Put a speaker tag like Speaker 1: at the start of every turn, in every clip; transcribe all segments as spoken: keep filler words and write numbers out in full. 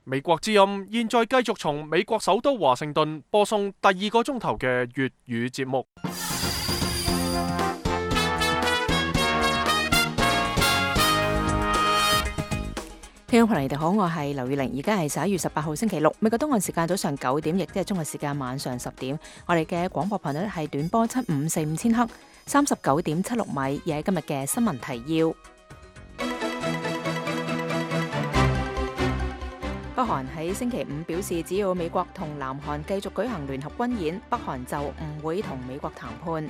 Speaker 1: 美國之音現在繼續從美國首都華盛頓播送第二個鐘頭嘅粵語節目。
Speaker 2: 聽眾朋友你哋好，我係劉宇玲，而家係十一月十八號星期六，美國東岸時間早上九點，亦即係中國時間晚上十點。我哋嘅廣播頻率係短波七五四五千赫，三十九點七六米。而喺今日嘅新聞提要，北韓喺星期五表示，只要美國同南韓繼續舉行聯合軍演，北韓就唔會同美國談判。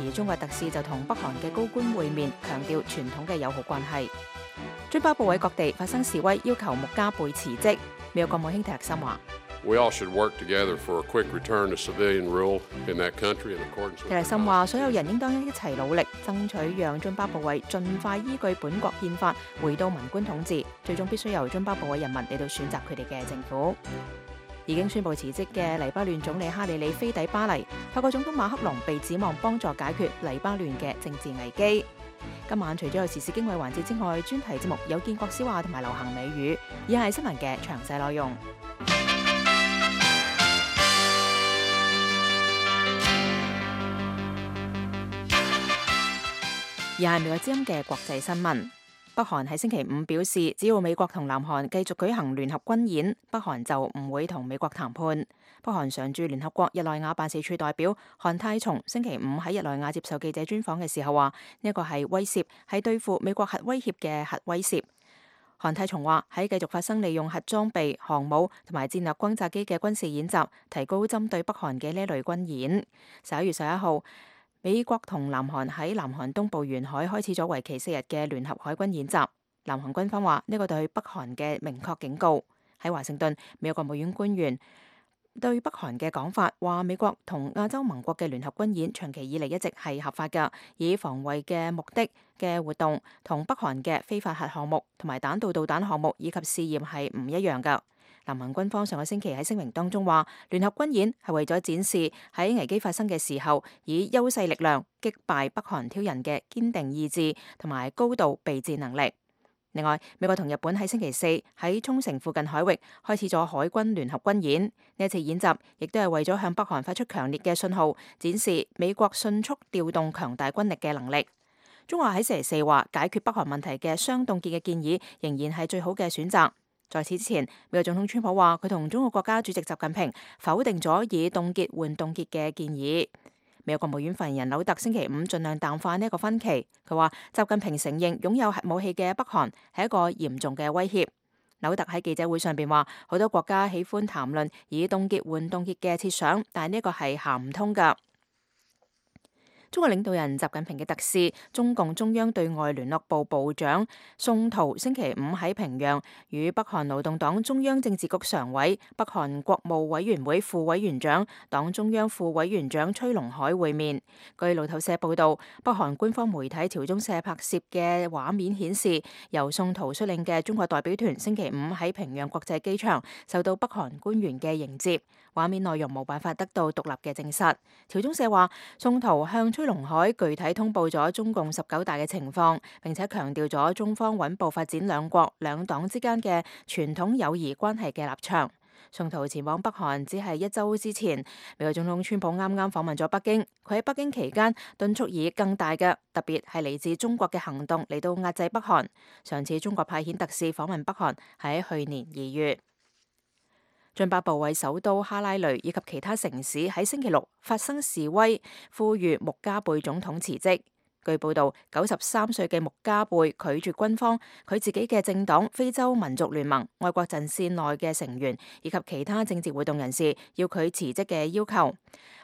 Speaker 2: 而中國特使就同北韓嘅高官會面，強調傳統嘅友好關係。津巴布韋各地發生示威，要求穆加貝辭職。美國國務卿蒂勒森話：蒂勒森話，所有人應當一齊努力，爭取讓津巴布韋盡快依據本國憲法回到文官統治，最終必須由津巴布韋人民嚟到選擇佢哋嘅政府。已經宣布辭職嘅黎巴嫩總理哈里里飛抵巴黎，法國總統馬克龍被指望幫助解決黎巴嫩嘅政治危機。今晚除咗有時事經緯環節之外，專題節目有建國笑話同埋流行美語，以下係新聞嘅詳細內容。以下係美國之音嘅國際新聞。北韓喺星期五表示，只要美國同南韓繼續舉行聯合軍演，北韓就唔會同美國談判。北韓常駐聯合國日內瓦辦事處代表韓泰松星期五喺日內瓦接受記者專訪嘅時候話：呢一個係威懾，係對付美國核威脅嘅核威懾。韓泰松話：喺繼續發生利用核裝備、航母同埋戰略轟炸機嘅軍事演習，提高針對北韓嘅呢類軍演。十一月十一號，美國同南韓喺南韓東部沿海開始咗為期四日嘅聯合海軍演習。南韓軍方話呢個對北韓嘅明確警告。喺華盛頓，美國國務院官員對北韓嘅講法話，美國同亞洲盟國嘅聯合軍演長期以嚟一直係合法㗎，以防衛嘅目的嘅活動同北韓嘅非法核項目同埋彈道導彈項目以及試驗係唔一樣㗎。南韓軍方上個星期喺聲明當中話，聯合軍演係為咗展示喺危機發生嘅時候，以優勢力量擊敗北韓挑釁嘅堅定意志同埋高度備戰能力。另外，美國同日本喺星期四喺沖繩附近海域開始咗海軍聯合軍演。呢一次演習亦都係為咗向北韓發出強烈嘅信號，展示美國迅速調動強大軍力嘅能力。中華喺星期四話，解決北韓問題嘅雙凍結嘅建議仍然係最好嘅選擇。在此之前，美國總統川普話佢同中國國家主席習近平否定咗以凍結換凍結嘅建議。美國國務院發言人紐特星期五盡量淡化呢一個分歧。佢話習近平承認擁有核武器嘅北韓係一個嚴重嘅威脅。紐特喺記者會上邊話，好多國家喜歡談論以凍結換凍結嘅設想，但係呢個係行唔通㗎。中國領導人習近平嘅特使、中共中央對外聯絡部部長宋濤星期五喺平壤與北韓勞動黨中央政治局常委、北韓國務委員會副委員長、黨中央副委員長崔龍海會面。據路透社報道，北韓官方媒體朝中社拍攝嘅畫面顯示，由宋濤率領嘅中國代表團星期五喺平壤國際機場受到北韓官員嘅迎接。畫面內容冇辦法得到獨立嘅證實。朝中社話，宋濤向崔龍海具體通報咗中共十九大嘅情況，並且強調咗中方穩步發展兩國兩黨之間嘅傳統友誼關係嘅立場。宋濤前往北韓只係一周之前，美國總統川普啱啱訪問咗北京。佢喺北京期間敦促以更大嘅，特別係嚟自中國嘅行動嚟到壓制北韓。上次中國派遣特使訪問北韓喺去年二月。津巴布韋首都哈拉雷以及其他城市喺星期六發生示威，呼籲穆加貝總統辭職。據報道，九十三歲嘅穆加貝拒絕軍方、佢自己嘅政黨非洲民族聯盟、外國陣線內嘅成員以及其他政治活動人士要佢辭職嘅要求。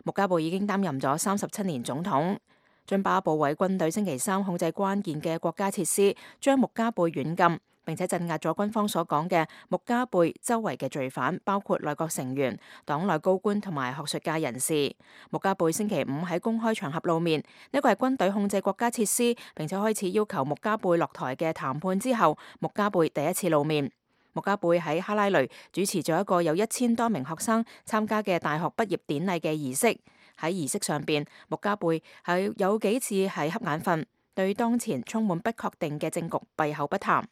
Speaker 2: 穆加貝已經擔任咗三十七年總統。津巴布韋軍隊星期三控制關鍵嘅國家設施，將穆加貝軟禁，並且鎮壓咗軍方所講嘅穆加貝周圍嘅罪犯，包括內閣成員、黨內高官同埋學術界人士。穆加貝星期五喺公開場合露面，呢個係軍隊控制國家設施，並且開始要求穆加貝落台嘅談判之後，穆加貝第一次露面。穆加貝喺哈拉雷主持咗一個有一千多名學生參加嘅大學畢業典禮嘅儀式。喺儀式上邊，穆加貝係有幾次係瞌眼瞓，對當前充滿不確定嘅政局閉口不談。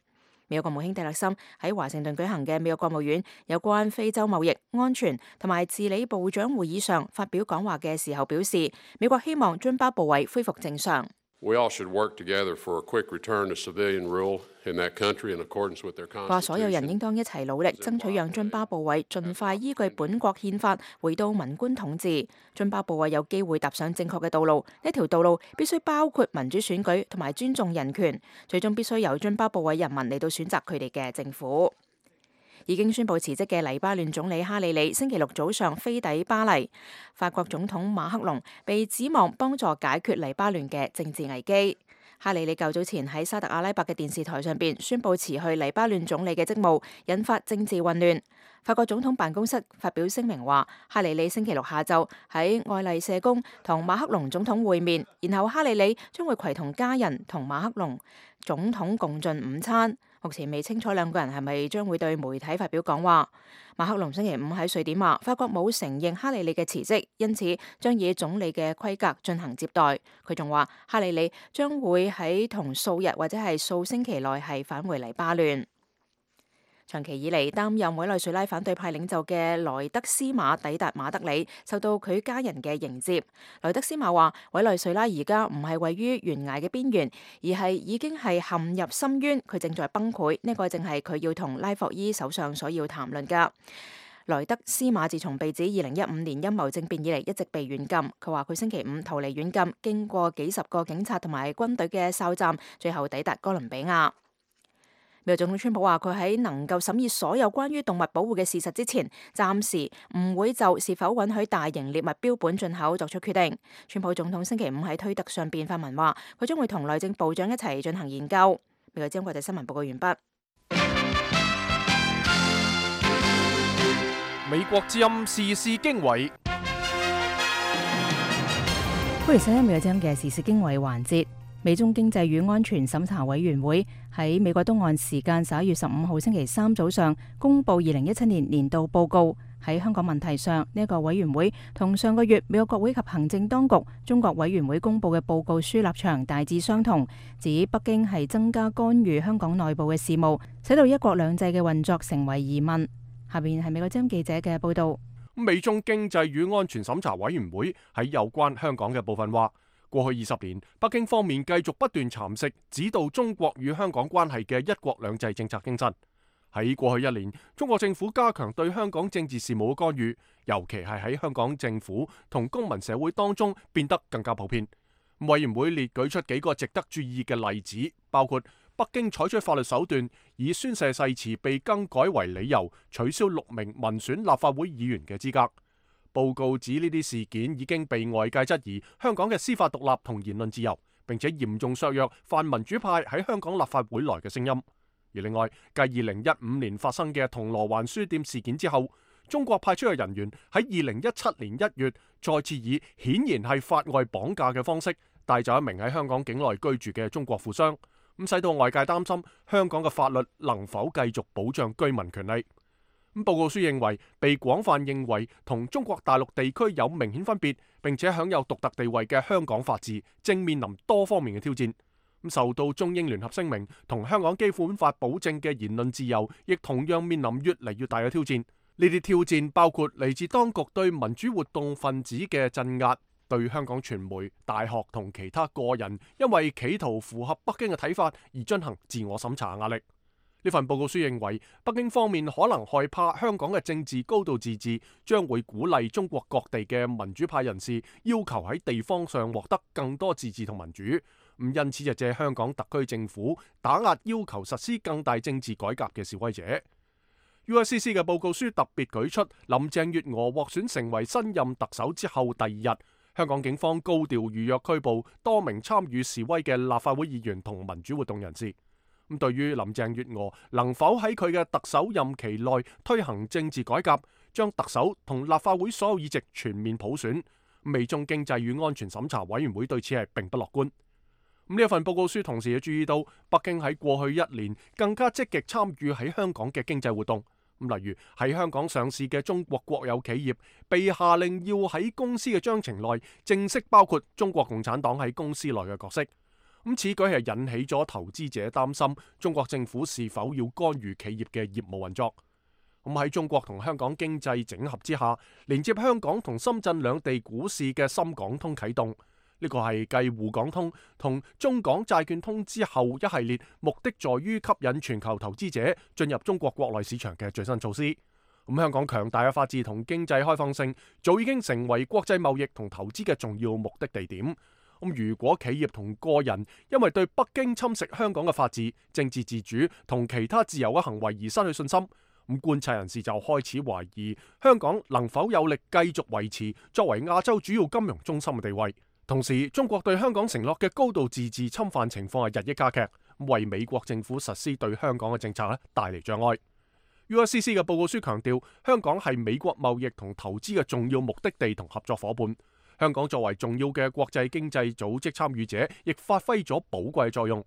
Speaker 2: 美國國務卿蒂勒森喺華盛頓舉行嘅美國國務院有關非洲貿易、安全同埋治理部長會議上發表講話嘅時候表示，美國希望津巴布韋恢復正常。
Speaker 3: We all should work together for a quick return to civilian rule in that country in accordance with their constitution.
Speaker 2: 話所有人應當一齊努力，爭取讓津巴布韋盡快依據本國憲法回到文官統治。津巴布韋有機會踏上正確嘅道路，呢條道路必須包括民主選舉同埋尊重人權，最終必須由津巴布韋人民嚟到選擇佢哋嘅政府。已經宣布辭職嘅黎巴嫩總理哈里里星期六早上飛抵巴黎。法國總統馬克龍被指望幫助解決黎巴嫩嘅政治危機。哈里里較早前喺沙特阿拉伯嘅電視台上邊宣布辭去黎巴嫩總理嘅職務，引發政治混亂。法國總統辦公室發表聲明話，哈里里星期六下晝喺愛麗舍宮同馬克龍總統會面，然後哈里里將會攜同家人同馬克龍總統共進午餐。目前未清楚兩個人係咪將會對媒體發表講話。馬克龍星期五喺瑞典話，法國冇承認哈里里嘅辭職，因此將以總理嘅規格進行接待。佢仲話，哈里里將會喺同數日或者係數星期內係返回黎巴嫩。長期以嚟擔任委內瑞拉反對派領袖嘅萊德斯馬抵達馬德里，受到佢家人嘅迎接。萊德斯馬話，委內瑞拉而家唔係位於懸崖嘅邊緣，而係已經係陷入深淵，佢正在崩潰。呢、這個正係佢要同拉霍伊首相所要談論㗎。萊德斯馬自從被指二零一五年陰謀政變以嚟一直被軟禁。佢話佢星期五逃離軟禁，經過幾十個警察同埋軍隊嘅哨站，最後抵達哥倫比亞。美國總統川普話，佢喺能夠審議所有關於動物保護嘅事實之前，暫時唔會就是否允許大型獵物標本進口作出決定。川普總統星期五喺推特上邊發文話，佢將會同內政部長一齊進行研究。美國之音國際新聞報告完畢。
Speaker 1: 美國之音時事經緯，
Speaker 2: 歡迎收聽美國之音嘅時事經緯環節。美中經濟與安全審查委員會喺美國東岸時間十一月十五號星期三早上公布二零一七年年度報告。喺香港問題上，呢一個委員會同上個月美國國會及行政當局中國委員會公布嘅報告書立場大致相同，指北京係增加干預香港內部嘅事務，使到一國兩制嘅運作成為疑問。下邊係美國之音記者嘅報道。
Speaker 1: 美中經濟與安全審查委員會喺有關香港嘅部分話，過去二十年，北京方面繼續不斷蠶食指導中國與香港關係嘅一國兩制政策精神。喺過去一年，中國政府加強對香港政治事務嘅干預，尤其係喺香港政府同公民社會當中變得更加普遍。委員會列舉出幾個值得注意嘅例子，包括北京採取法律手段，以宣誓誓詞被更改為理由，取消六名民選立法會議員嘅資格。報告指呢啲事件已經被外界質疑香港嘅司法獨立同言論自由，並且嚴重削弱泛民主派喺香港立法會內嘅聲音。而另外，繼二零一五年發生嘅銅鑼灣書店事件之後，中國派出嘅人員喺二零一七年一月再次以顯然係法外綁架嘅方式帶走一名喺香港境內居住嘅中國富商，咁使到外界擔心香港嘅法律能否繼續保障居民權利。咁報告書認為，被廣泛認為同中國大陸地區有明顯分別，並且享有獨特地位嘅香港法治，正面臨多方面嘅挑戰。咁受到中英聯合聲明同香港基本法保證嘅言論自由，亦同樣面臨越嚟越大嘅挑戰。呢啲挑戰包括嚟自當局對民主活動分子嘅鎮壓，對香港傳媒、大學同其他個人因為企圖符合北京嘅睇法而進行自我審查壓力。呢份報告書認為，北京方面可能害怕香港嘅政治高度自治，將會鼓勵中國各地嘅民主派人士要求喺地方上獲得更多自治同民主。咁因此就借香港特區政府打壓要求實施更大政治改革嘅示威者。U S C C 嘅報告書特別舉出，林鄭月娥獲選成為新任特首之後第二日，香港警方高調預約拘捕多名參與示威嘅立法會議員同民主活動人士。咁對於林鄭月娥能否喺佢嘅特首任期內推行政治改革，將特首同立法會所有議席全面普選，美中經濟與安全審查委員會對此係並不樂觀。咁呢一份報告書同時亦注意到，北京喺過去一年更加積極參與喺香港嘅經濟活動。咁例如喺香港上市嘅中國國有企業被下令要喺公司嘅章程內正式包括中國共產黨喺公司內嘅角色。咁此舉係引起咗投資者擔心中國政府是否要干預企業嘅業務運作。咁喺中國同香港經濟整合之下，連接香港同深圳兩地股市嘅深港通啟動，呢個係繼滬港通同中港債券通之後一系列目的在於吸引全球投資者進入中國國內市場嘅最新措施。咁香港強大嘅法治同經濟開放性，早已經成為國際貿易同投資嘅重要目的地點。咁如果企業同個人因為對北京侵蝕香港嘅法治、政治自主同其他自由嘅行為而失去信心，咁觀察人士就開始懷疑香港能否有力繼續維持作為亞洲主要金融中心嘅地位。同時，中國對香港承諾嘅高度自治侵犯情況係日益加劇，為美國政府實施對香港嘅政策咧帶嚟障礙。U S C C 嘅報告書強調，香港係美國貿易同投資嘅重要目的地同合作夥伴。香港作為重要嘅國際經濟組織參與者，亦發揮咗寶貴作用。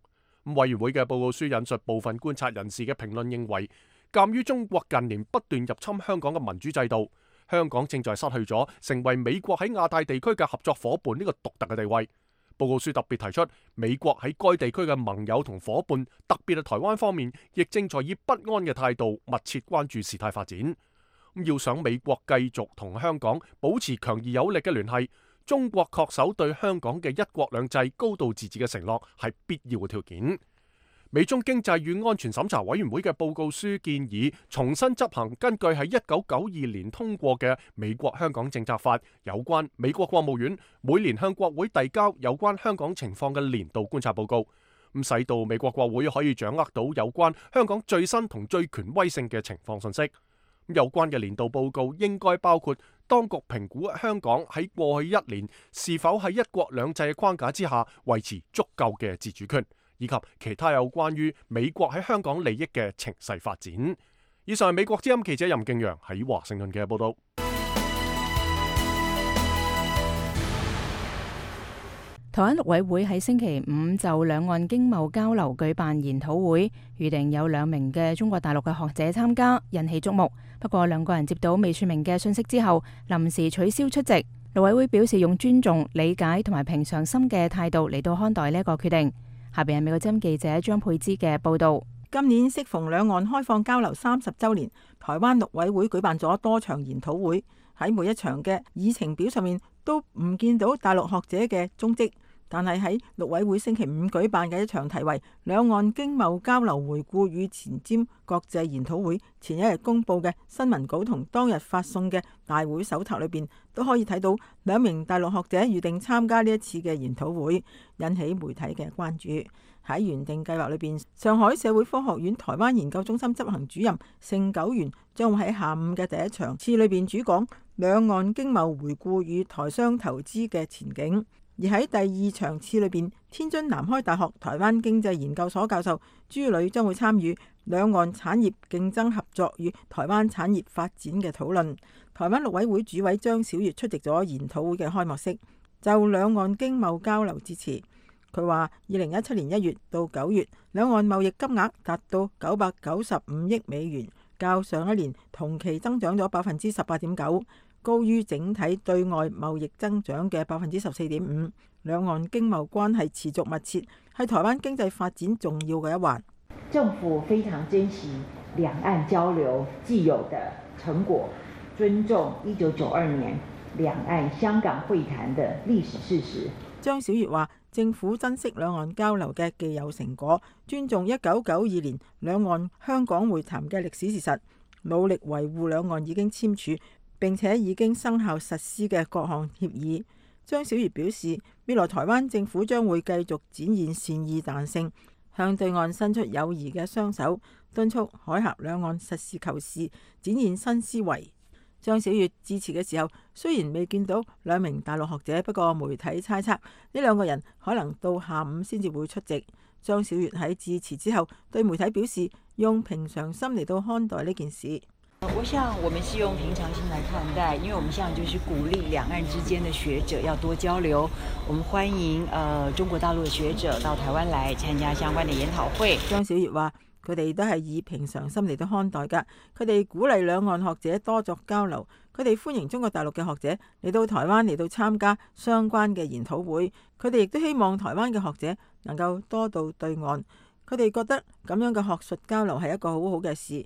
Speaker 1: 委員會嘅報告書引述部分觀察人士嘅評論認為，鑑於中國近年不斷入侵香港嘅民主制度，香港正在失去咗成為美國喺亞太地區嘅合作夥伴呢個獨特嘅地位。報告書特別提出，美國喺該地區嘅盟友同夥伴，特別係台灣方面，亦正在以不安嘅態度密切關注事態發展。要想美國繼續同香港保持強而有力嘅聯繫，中國恪守對香港嘅一國兩制、高度自治嘅承諾係必要嘅條件。美中經濟與安全審查委員會嘅報告書建議重新執行根據喺一九九二年通過嘅美國香港政策法有關美國國務院每年向國會遞交有關香港情況嘅年度觀察報告，咁使到美國國會可以掌握到有關香港最新同最權威性嘅情況信息。有關嘅年度報告應該包括當局評估香港喺過去一年是否喺一國兩制嘅框架之下維持足夠嘅自主權，以及其他有關於美國喺香港利益嘅情勢發展。以上係美國之音記者任敬陽喺華盛頓嘅報道。
Speaker 2: 台灣陸委會喺星期五就兩岸經貿交流舉辦研討會，預定有兩名嘅中國大陸嘅學者參加，引起矚目。不過兩個人接到未說明嘅信息之後，臨時取消出席。陸委會表示用尊重、理解同埋平常心嘅態度嚟到看待呢一個決定。下邊係美國之音記者張佩芝嘅報道。
Speaker 4: 今年適逢兩岸開放交流三十週年，台灣陸委會舉辦咗多場研討會，喺每一場嘅議程表上面都唔見到大陸學者嘅蹤跡。但係喺陸委會星期五舉辦嘅一場題為《兩岸經貿交流回顧與前瞻國際研討會》前一日公佈嘅新聞稿同當日發送嘅大會手冊裏邊，都可以睇到兩名大陸學者預定參加呢一次嘅研討會，引起媒體嘅關注。喺原定計劃裏邊，上海社會科學院台灣研究中心執行主任盛九元將會喺下午嘅第一場次裏邊主講兩岸經貿回顧與台商投資嘅前景。而喺第二場次裏邊，天津南開大學台灣經濟研究所教授朱磊將會參與兩岸產業競爭合作與台灣產業發展嘅討論。台灣陸委會主委張曉月出席咗研討會嘅開幕式，就兩岸經貿交流致辭。佢話：二零一七年一月到九月，兩岸貿易金額達到九百九十五億美元，較上一年同期增長咗百分之十八點九。高於整體對外貿易增長嘅百分之十四點五，兩岸經貿關係持續密切，係台灣經濟發展重要嘅一環。
Speaker 5: 政府非常珍惜兩岸交流既有的成果，尊重一九九二年兩岸香港會談的歷史事實。
Speaker 4: 張曉月話：政府珍惜兩岸交流嘅既有成果，尊重一九九二年兩岸香港會談嘅歷史事實，努力維護兩岸已經簽署並且已經生效實施嘅各項協議。張曉月表示，未來台灣政府將會繼續展現善意彈性，向對岸伸出友誼嘅雙手，敦促海峽兩岸實事求是，展現新思維。張曉月致辭嘅時候，雖然未見到兩名大陸學者，不過媒體猜測呢兩個人可能到下午先至會出席。張曉月喺致辭之後對媒體表示，用平常心嚟到看待呢件事。
Speaker 5: 我想我們是用平常心來看待，因為我們現在就是鼓勵兩岸之間的學者要多交流。我們歡迎呃中國大陸的學者到台灣來參加相關的研討會。
Speaker 4: 張曉月話：佢哋都係以平常心嚟到看待㗎，佢哋鼓勵兩岸學者多作交流，佢哋歡迎中國大陸嘅學者嚟到台灣嚟到參加相關嘅研討會。佢哋亦都希望台灣嘅學者能夠多到對岸。佢哋覺得咁樣嘅學術交流係一個好好嘅事。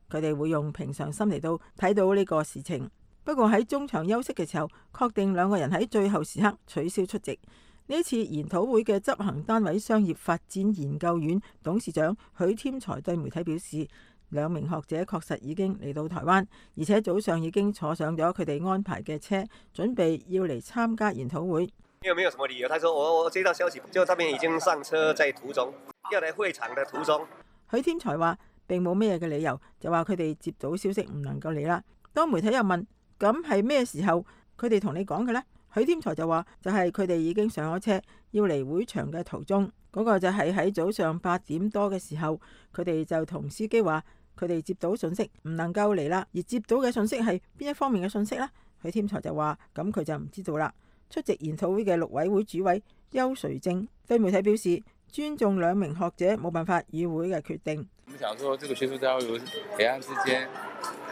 Speaker 4: 佢哋會用平常心嚟到睇到呢個事情。不過喺中場休息嘅時候，確定兩個人喺最後時刻取消出席。呢次研討會嘅執行單位商業發展研究院董事長許添財對媒體表示，兩名學者確實已經嚟到台灣，而且早上已經坐上咗佢哋安排嘅車，準備要嚟參加研討會。
Speaker 6: 因為沒有什麼理由，他說我我接到消息，就他們已經上車，在途中，要嚟會場的途中。
Speaker 4: 許添財話並冇咩嘅理由，就話佢哋接到消息唔能夠嚟啦。當媒體又問咁係咩時候佢哋同你講嘅呢？許添財就話就係佢哋已經上咗車，要嚟會場嘅途中。嗰、那個就係喺早上八點多嘅時候，佢哋就同司機話佢哋接到信息唔能夠嚟啦。而接到嘅信息係邊一方面嘅信息呢？許添財就話咁佢就唔知道啦。出席研討會嘅陸委會主委邱垂正對媒體表示，尊重兩名學者冇辦法與會嘅決定。
Speaker 7: 我們想說，這個學術交流，兩岸之間，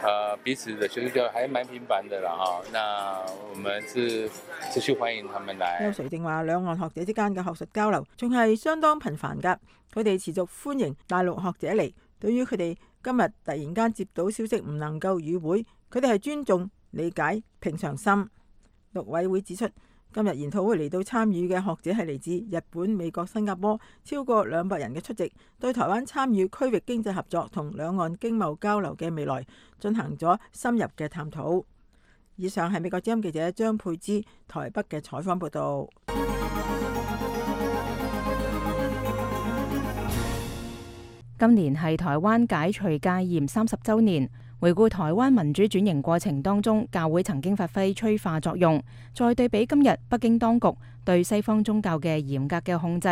Speaker 7: 呃，彼此的學術交流還蠻頻繁的啦，哈。那我們是持續歡迎他們來。
Speaker 4: 邱垂正話，兩岸學者之間嘅學術交流仲係相當頻繁㗎，佢哋持續歡迎大陸學者嚟。對於佢哋今日突然間接到消息唔能夠與會，佢哋係尊重、理解、平常心。陸委會指出，今日研討會嚟到參與嘅學者係嚟自日本、美國、新加坡，超過兩百人嘅出席，對台灣參與區域經濟合作同兩岸經貿交流嘅未來進行咗深入嘅探討。以上係美國之音記者張佩芝台北嘅採訪報道。
Speaker 2: 今年係台灣解除戒嚴三十週年。回顧台灣民主轉型過程當中，教會曾經發揮催化作用。再對比今日北京當局對西方宗教嘅嚴格嘅控制，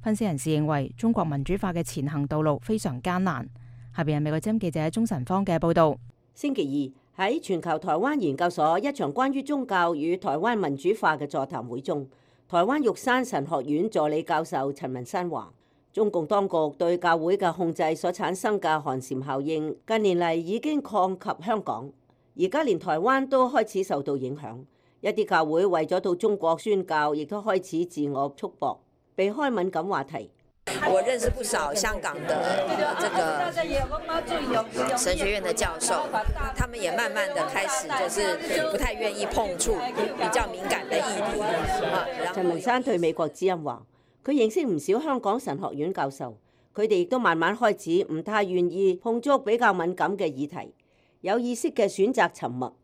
Speaker 2: 分析人士認為中國民主化嘅前行道路非常艱難。下邊係美國之音記者鍾晨芳嘅報道。
Speaker 8: 星期二喺全球台灣研究所一場關於宗教與台灣民主化嘅座談會中，台灣玉山神學院助理教授陳文山話，中共當局對教會嘅控制所產生嘅寒蟬效應，近年嚟已經擴及香港，而家連台灣都開始受到影響。一啲教會為咗到中國宣教，亦都開始自我束縛，避開敏感話題。
Speaker 9: 我認識不少香港的這個神學院的教授，他們也慢慢的開始就是不太願意碰觸比較敏感的議題。
Speaker 8: 陳文山對美國之音話，佢認識唔少香港神學院教授，佢哋亦都慢慢開始唔太願意碰觸比較敏感嘅議題，有意識嘅選擇沉默。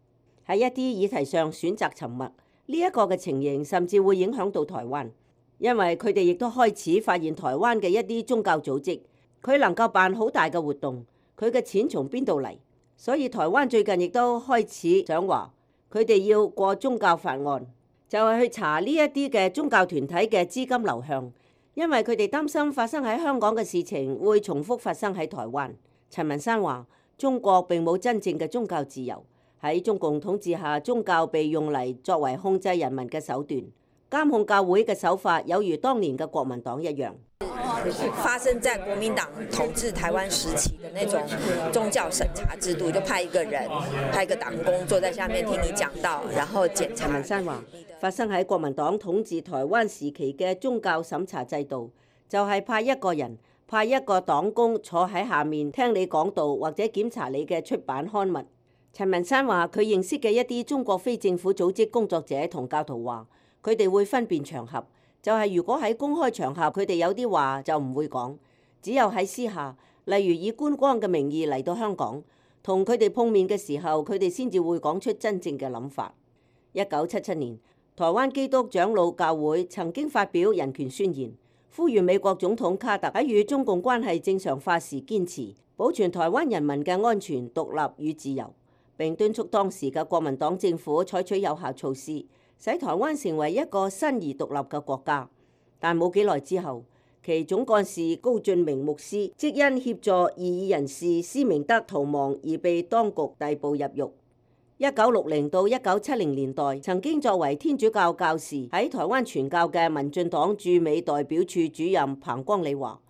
Speaker 8: 喺一啲議題上選擇沉默，呢一個嘅情形甚至會影響到台灣。因為佢哋亦都開始發現台灣嘅一啲宗教組織，佢能夠辦好大嘅活動，佢嘅錢從邊度嚟？所以台灣最近亦都開始想話，佢哋要過宗教法案，就係去查呢一啲嘅宗教團體嘅資金流向，因為佢哋擔心發生喺香港嘅事情會重複發生喺台灣。陳文山話，中國並冇真正嘅宗教自由，喺中共統治下，宗教被用嚟作為控制人民嘅手段。監控教會嘅手法有如當年嘅國民黨一樣，
Speaker 9: 發生在國民黨統治台灣時期的那種宗教審查制度，就派一個人，派一個黨工坐在下面聽你講道，然後檢查。陳文山話，發生喺國民黨統治台灣時期嘅宗教審查制度，就係派一個人，派一個黨工坐喺下面聽你講道或者檢查你嘅出版刊物。陳文山話，佢認識嘅一啲中國非政府組織工作者同教徒話，佢哋會分辨場合，就係如果喺公開場合，佢哋有啲話就唔會講，只有喺私下，例如以觀光嘅名義嚟到香港，同佢哋碰面嘅時候，佢哋先至會講出真正嘅諗法。一九七七年，台灣基督長老教會曾經發表人權宣言，呼籲美國總統卡特喺與中共關係正常化時堅持保存台灣人民嘅安全、獨立與自由，並敦促當時嘅國民黨政府採取有效措施，使台灣成為一個新而獨立嘅國家。但冇幾耐之後，其總幹事高俊明牧師即因協助異議人士施明德逃亡而被當局逮捕入獄。一九六零到一九七零年代，曾經作為天主教教士喺台灣傳教嘅民進黨駐美代表處主任彭光理話，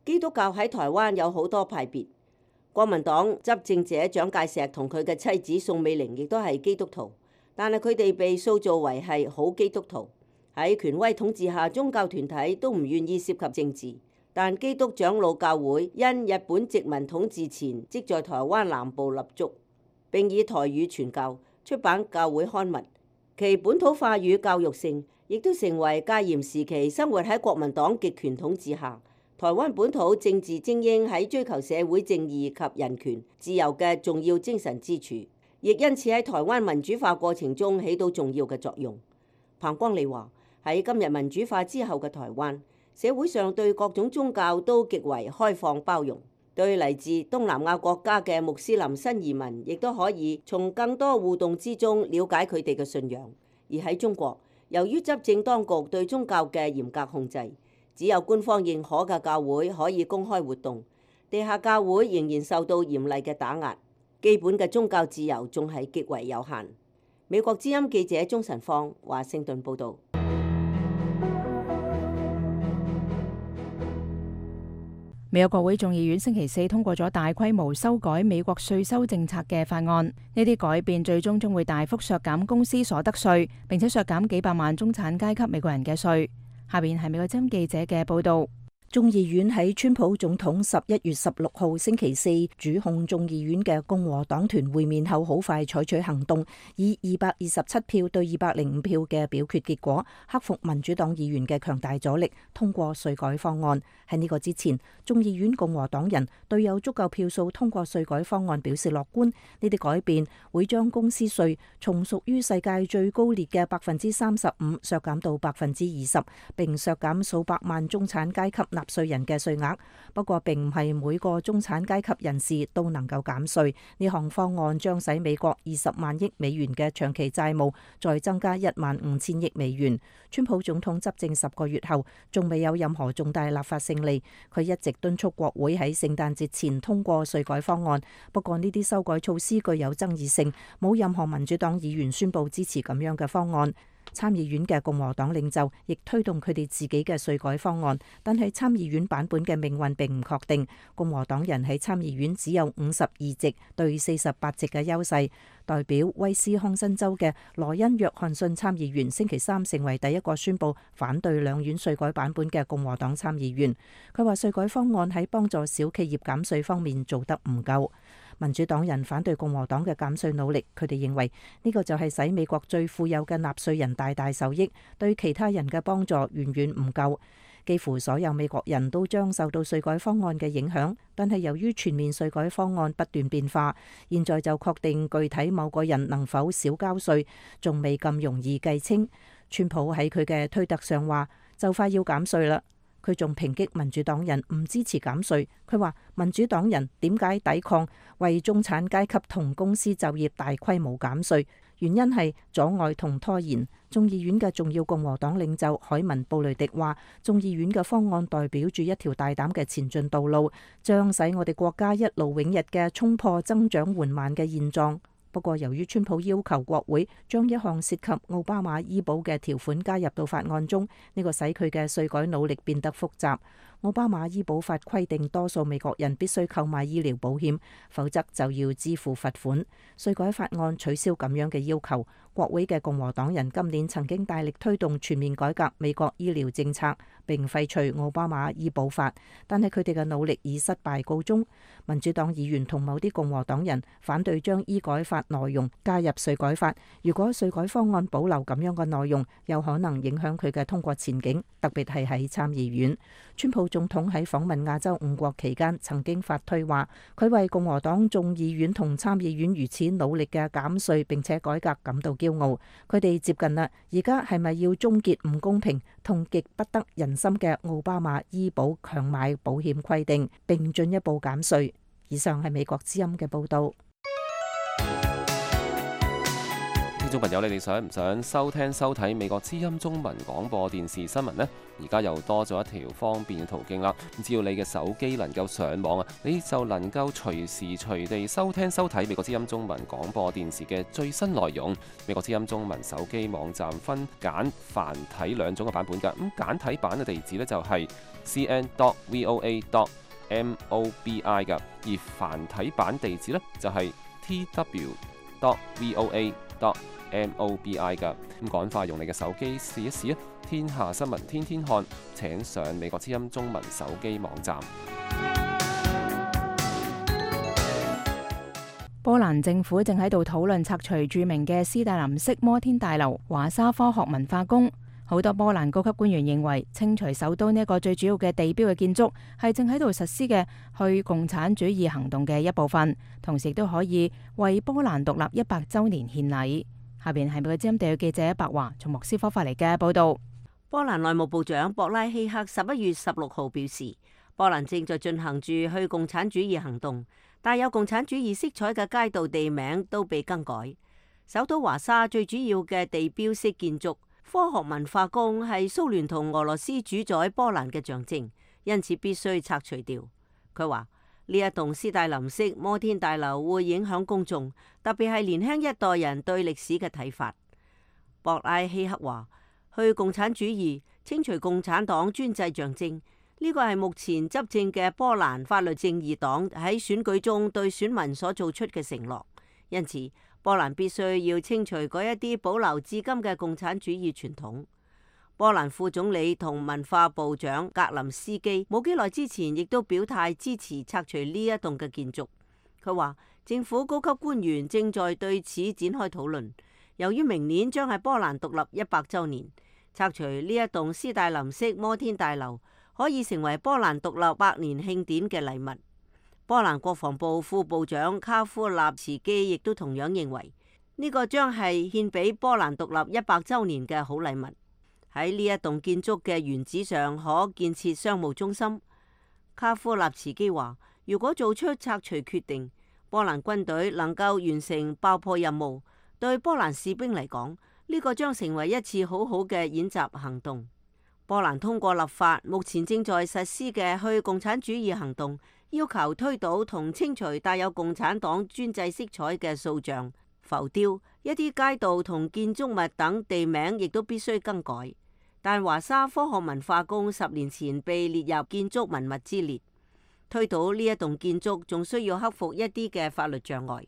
Speaker 9: 基督教喺台灣有好多派別，
Speaker 8: 國民黨執政者蔣介石同佢嘅妻子宋美齡亦都係基督徒，但係佢哋被塑造為係好基督徒。喺權威統治下，宗教團體都唔願意涉及政治。但基督長老教會因日本殖民統治前即在台灣南部立足，並以台語傳教，出版教會刊物，其本土化與教育性亦都成為戒嚴時期生活喺國民黨極權統治下，台灣本土政治精英喺追求社會正義及人權自由嘅重要精神支柱，亦因此喺台灣民主化過程中起到重要嘅作用。彭光利話：喺今日民主化之後嘅台灣，社會上對各種宗教都極為開放包容，對嚟自東南亞國家嘅穆斯林新移民，亦都可以從更多互動之中了解佢哋嘅信仰。而喺中國，由於執政當局對宗教嘅嚴格控制，只有官方認可嘅教會可以公開活動，地下教會仍然受到嚴厲嘅打壓，基本嘅宗教自由仲係極為有限。美國之音記者鍾晨芳華盛頓報導。
Speaker 2: 美國國會眾議院星期四通過咗大規模修改美國稅收政策嘅法案，呢啲改變最終將會大幅削減公司所得稅，並且削減幾百萬中產階級美國人嘅稅。下邊係美國之音記者嘅報道。眾議院喺川普總統十一月十六號星期四主控眾議院嘅共和黨團會面後，好快採取行動，以二百二十七票對二百零五票嘅表決結果，克服民主黨議員嘅強大阻力，通過稅改方案。喺呢個之前，眾議院共和黨人對有足夠票數通過稅改方案表示樂觀。呢啲改變會將公司稅從屬於世界最高列嘅百分之三十五削減到百分之二十，並削減數百萬中產階級納稅人嘅稅額。不過並唔係每個中產階級人士都能夠減稅。呢項方案將使美國二十萬億美元嘅長期債務再增加一萬五千億美元。川普總統執政十個月後，仲未有任何重大立法勝利。佢一直敦促國會喺聖誕節前通過稅改方案。不過呢啲修改措施具有爭議性，冇任何民主黨議員宣布支持咁樣嘅方案。參議院嘅共和黨領袖亦推動佢哋自己嘅稅改方案，但係參議院版本嘅命運並唔確定。共和黨人喺參議院只有五十二席對四十八席嘅優勢。代表威斯康辛州嘅羅恩約翰遜參議員星期三成為第一個宣布反對兩院稅改版本嘅共和黨參議員。佢話稅改方案喺幫助小企業減稅方面做得唔夠。民主黨人反對共和黨嘅減稅努力，佢哋認為呢個就係使美國最富有嘅納稅人大大受益，對其他人嘅幫助遠遠唔夠。幾乎所有美國人都將受到稅改方案嘅影響，但係由於全面稅改方案不斷變化，現在就確定具體某個人能否少交稅，仲未咁容易計清。川普喺佢嘅推特上話就快要減稅啦。佢仲抨擊民主黨人唔支持減稅。佢話民主黨人點解抵抗為中產階級同公司就業大規模減稅？原因係阻礙同拖延。眾議院嘅重要共和黨領袖海文布雷迪話，眾議院嘅方案代表住一條大膽嘅前進道路，將使我哋國家一勞永逸嘅衝破增長緩慢嘅現狀。不過，由於川普要求國會將一項涉及奧巴馬醫保嘅條款加入到法案中，呢個使佢嘅稅改努力變得複雜。奧巴馬醫保法規定，多數美國人必須購買醫療保險，否則就要支付罰款。稅改法案取消咁樣嘅要求。國會嘅共和黨人今年曾經大力推動全面改革美國醫療政策，並廢除奧巴馬醫保法，但係佢哋嘅努力以失敗告終。民主黨議員同某啲共和黨人反對將醫改法內容加入稅改法。如果稅改方案保留咁樣嘅內容，有可能影響佢嘅通過前景，特別係喺參議院。川普總統喺訪問亞洲五國期間曾經發推話，佢為共和黨眾議院同參議院如此努力嘅減稅並且改革感到驕傲。佢哋接近啦，而家係咪要終結唔公平同極不得人心嘅奧巴馬醫保強買保險規定，並進一步減稅？以上係美國之音嘅報道。
Speaker 10: 聽眾朋友，你哋想唔想收聽收睇美國之音中文廣播電視新聞呢？而家又多咗一條方便嘅途徑啦。只要你嘅手機能夠上網啊，你就能夠隨時隨地收聽收睇美國之音中文廣播電視嘅最新內容。美國之音中文手機網站分簡繁體兩種嘅版本㗎。咁簡體版嘅地址呢，就係 c n dot v o a dot M O B I 嘅，而繁體版地址呢，就係 T W dot V O A dot M O B I 嘅。咁趕快用你嘅手機試一試啊！天下新聞天天看，請上美國之音中文手機網站。
Speaker 2: 波蘭政府正喺度討論拆除著名嘅斯大林式摩天大樓華沙科學文化宮。好多波蘭高級官員認為，清除首都呢一個最主要嘅地標嘅建築，係正喺度實施嘅去共產主義行動嘅一部分，同時亦都可以為波蘭獨立一百週年獻禮。下邊係美國之音地區記者白華從莫斯科發嚟嘅報導。
Speaker 8: 波蘭內務部長博拉希克十一月十六號表示，波蘭正在進行住去共產主義行動，帶有共產主義色彩嘅街道地名都被更改。首都華沙最主要嘅地標式建築科學文化宮係蘇聯同俄羅斯主宰波蘭嘅象徵，因此必須拆除掉。佢話呢一棟斯大林式摩天大樓會影響公眾，特別係年輕一代人對歷史嘅睇法。博拉希克話，去共產主義、清除共產黨專制象徵，呢個係目前執政嘅波蘭法律正義黨喺選舉中對選民所做出嘅承諾。因此，波蘭必須要清除嗰一啲保留至今嘅共產主義傳統。波蘭副總理同文化部長格林斯基冇幾耐之前亦都表態支持拆除呢一棟嘅建築。佢話政府高級官員正在對此展開討論。由於明年將係波蘭獨立一百週年，拆除呢一棟斯大林式摩天大樓可以成為波蘭獨立百年慶典嘅禮物。波蘭國防部副部長卡夫納茨基亦都同樣認為呢個將係獻俾波蘭獨立一百週年嘅好禮物。喺呢一棟建築嘅原址上可建設商務中心。卡夫納茨基話，如果做出拆除決定，波蘭軍隊能夠完成爆破任務，對波蘭士兵嚟講，呢個將成為一次好好嘅演習行動。波蘭通過立法，目前正在實施嘅去共產主義行動，要求推倒同清除帶有共產黨專制色彩嘅塑像、浮雕，一啲街道同建築物等地名亦都必須更改。但華沙科學文化宮十年前被列入建築文物之列，推倒呢一棟建築仲需要克服一啲嘅法律障礙。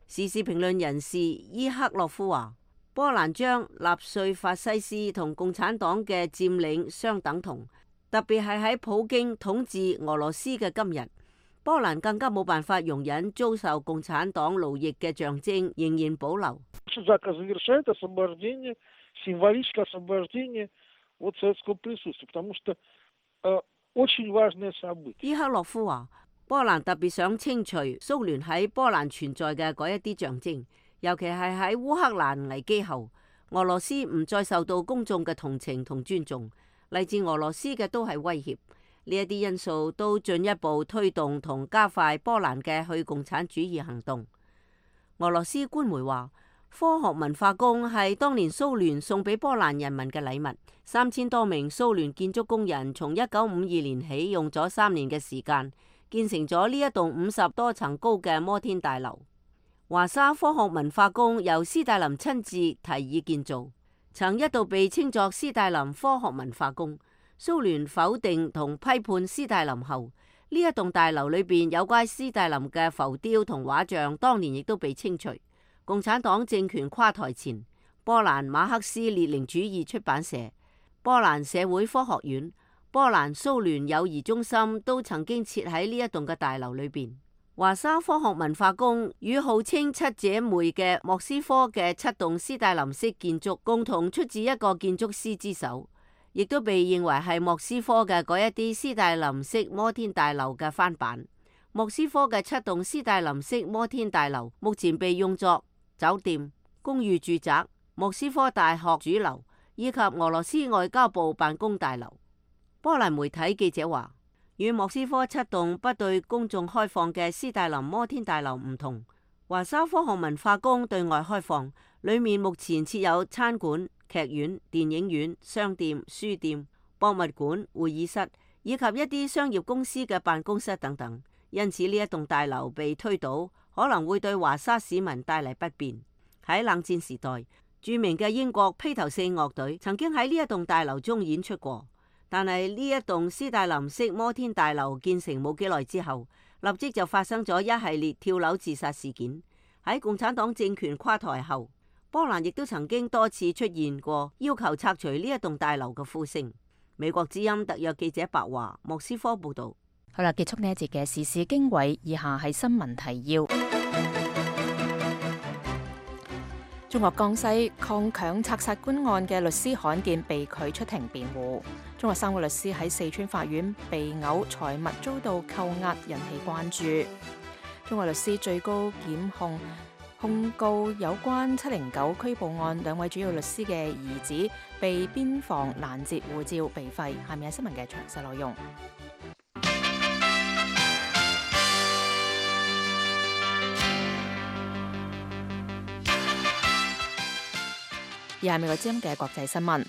Speaker 8: 時事評論人士伊克洛夫話，波蘭將納粹法西斯同共產黨嘅佔領相等同，特別係喺普京統治俄羅斯嘅今日，波蘭更加冇辦法容忍遭受共產黨奴役嘅象徵仍然保留。伊克洛夫話，波蘭特別想清除蘇聯喺波蘭存在嘅嗰一啲象徵，尤其係喺烏克蘭危機後，俄羅斯唔再受到公眾嘅同情同尊重，嚟自俄羅斯嘅都係威脅。呢一啲因素都進一步推動同加快波蘭嘅去共產主義行動。俄羅斯官媒話，科學文化宮係當年蘇聯送俾波蘭人民嘅禮物，三千多名蘇聯建築工人從一九五二年起用咗三年嘅時間，建成咗呢一棟五十多層高嘅摩天大樓。華沙科學文化宮由斯大林親自提議建造，曾一度被稱作斯大林科學文化宮。蘇聯否定同批判斯大林後，呢一棟大樓裏邊有關斯大林嘅浮雕同畫像，當年亦都被清除。共產黨政權垮台前，波蘭馬克思列寧主義出版社、波蘭社會科學院、波蘭蘇聯友誼中心都曾經設喺呢一棟嘅大樓裏邊。華沙科學文化宮與號稱七姐妹嘅莫斯科嘅七棟斯大林式建築共同出自一個建築師之手，亦都被認為係莫斯科嘅嗰一啲斯大林式摩天大樓嘅翻版。莫斯科嘅七棟斯大林式摩天大樓目前被用作酒店、公寓住宅、莫斯科大學主樓以及俄羅斯外交部辦公大樓。波蘭媒體記者話，與莫斯科七棟不對公眾開放嘅斯大林摩天大樓唔同，華沙科學文化宮對外開放，裏面目前設有餐館、劇院、電影院、商店、書店、博物館、會議室以及一啲商業公司嘅辦公室等等。因此呢一棟大樓被推倒，可能會對華沙市民帶嚟不便。喺冷戰時代，著名嘅英國披頭四樂隊曾經喺呢一棟大樓中演出過。但係呢一棟斯大林式摩天大樓建成冇幾耐之後，立即就發生咗一系列跳樓自殺事件。喺共產黨政權垮台後，波蘭亦都曾經多次出現過要求拆除呢一棟大樓嘅呼聲。美國之音特約記者白華莫斯科報道。
Speaker 2: 好啦，結束呢一節嘅時事經緯，以下係新聞提要。中國江西抗強拆殺官案嘅律師罕見被拒出庭辯護。中國三個律師喺四川法院被毆，財物遭到扣押，引起關注。中國律師最高檢控控告有關七零九拘捕案兩位主要律師嘅兒子被邊防攔截護照被廢。下面係新聞嘅詳細內容。以下係美國之音嘅國際新聞。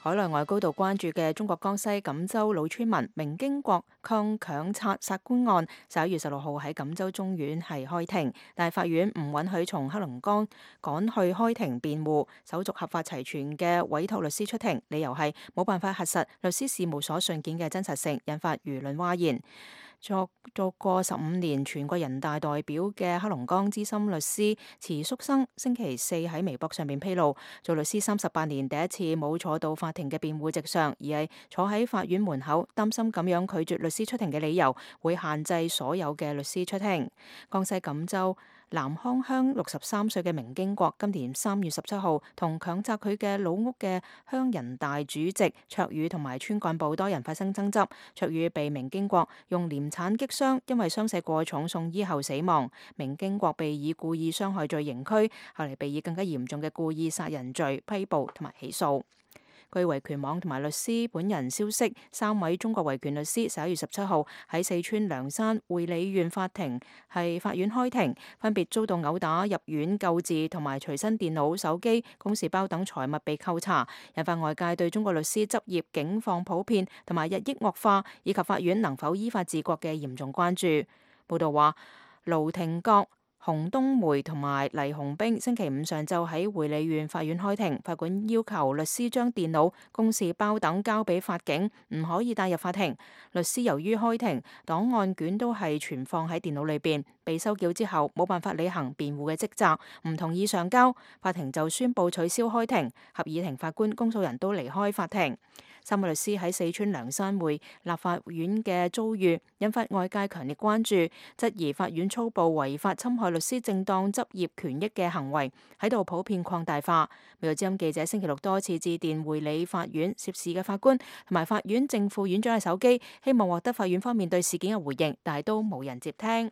Speaker 2: 海內外高度關注嘅中國江西錦州老村民明經國抗強拆殺官案，十一月十六號喺錦州中院係開庭，但係法院唔允許從黑龍江趕去開庭辯護，手續合法齊全嘅委託律師出庭，理由係冇辦法核實律師事務所信件嘅真實性，引發輿論譁然。作做過十五年全國人大代表嘅黑龍江資深律師池淑生星期四喺微博上面披露，做律師三十八年第一次冇坐到法庭嘅辯護席上，而係坐喺法院門口，擔心咁樣拒絕律師出庭嘅理由會限制所有嘅律師出庭。江西錦州南康鄉六十三歲嘅明經國今年三月十七號同強拆佢嘅老屋嘅鄉人大主席卓宇同埋村幹部多人發生爭執，卓宇被明經國用鐮鏟擊傷，因為傷勢過重送醫後死亡。明經國被以故意傷害罪刑拘，後嚟被以更加嚴重嘅故意殺人罪批捕同埋起訴。據維權網同埋律師本人消息，三位中國維權律師十一月十七號喺四川涼山會理縣法庭係法院開庭，分別遭到毆打、入院救治同埋隨身電腦、手機、公事包等財物被扣查，引發外界對中國律師執業境況普遍同埋日益惡化，以及法院能否依法治國嘅嚴重關注。報道話，盧廷國、洪冬梅同埋黎洪兵星期五上晝喺會理縣法院開庭，法官要求律師將電腦、公事包等交俾法警，唔可以帶入法庭。律師由於開庭檔案卷都係存放喺電腦裏邊，被收繳之後冇辦法履行辯護嘅職責，唔同意上交，法庭就宣布取消開庭，合議庭法官、公訴人都離開法庭。三位律師喺四川涼山會立法院嘅遭遇，引發外界強烈關注，質疑法院粗暴違法侵害律師正當執業權益嘅行為喺度普遍擴大化。美國之音記者星期六多次致電會理法院涉事嘅法官同埋法院正副院長嘅手機，希望獲得法院方面對事件嘅回應，但係都冇人接聽。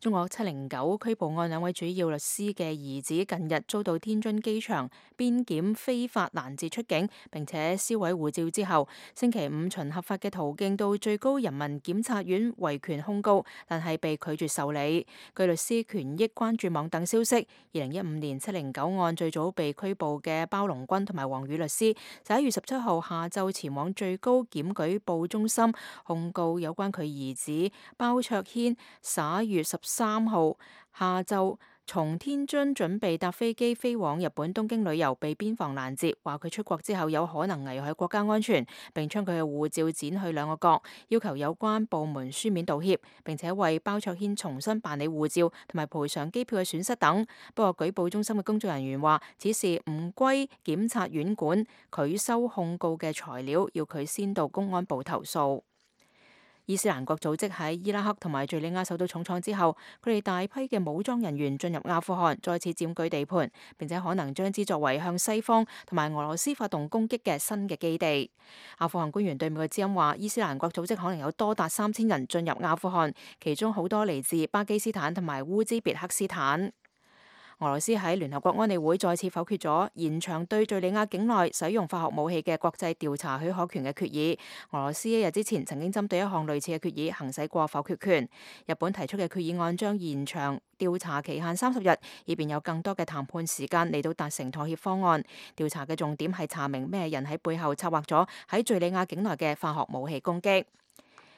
Speaker 2: 中國七零九拘捕案兩位主要律師嘅兒子近日遭到天津機場邊檢非法攔截出境，並且銷毀護照之後，星期五循合法嘅途徑到最高人民檢察院維權控告，但係被拒絕受理。據律師權益關注網等消息，二零一五年七零九案最早被拘捕嘅包龍軍同埋黃宇律師，十一月十七號下晝前往最高檢舉報中心控告有關佢兒子包卓軒十一月十三號下晝從天津準備搭飛機飛往日本東京旅遊，被邊防攔截，話佢出國之後有可能危害國家安全，並將佢嘅護照剪去兩個角，要求有關部門書面道歉，並且為包卓軒重新辦理護照同埋賠償機票嘅損失等。不過舉報中心嘅工作人員話，此事唔歸檢察院管，拒收控告嘅材料，要佢先到公安部投訴。伊斯蘭國組織喺伊拉克同埋敘利亞受到重創之後，佢哋大批嘅武裝人員進入阿富汗，再次佔據地盤，並且可能將之作為向西方同埋俄羅斯發動攻擊嘅新嘅基地。阿富汗官員對美國之音話，伊斯蘭國組織可能有多達三千人進入阿富汗，其中好多嚟自巴基斯坦同埋烏茲別克斯坦。俄羅斯喺聯合國安理會再次否決咗延長對敘利亞境內使用化學武器嘅國際調查許可權嘅決議。俄羅斯一日之前曾經針對一項類似嘅決議行使過否決權。日本提出嘅決議案將延長調查期限三十日，以便有更多嘅談判時間嚟到達成妥協方案。調查嘅重點係查明咩人喺背後策劃咗喺敘利亞境內嘅化學武器攻擊。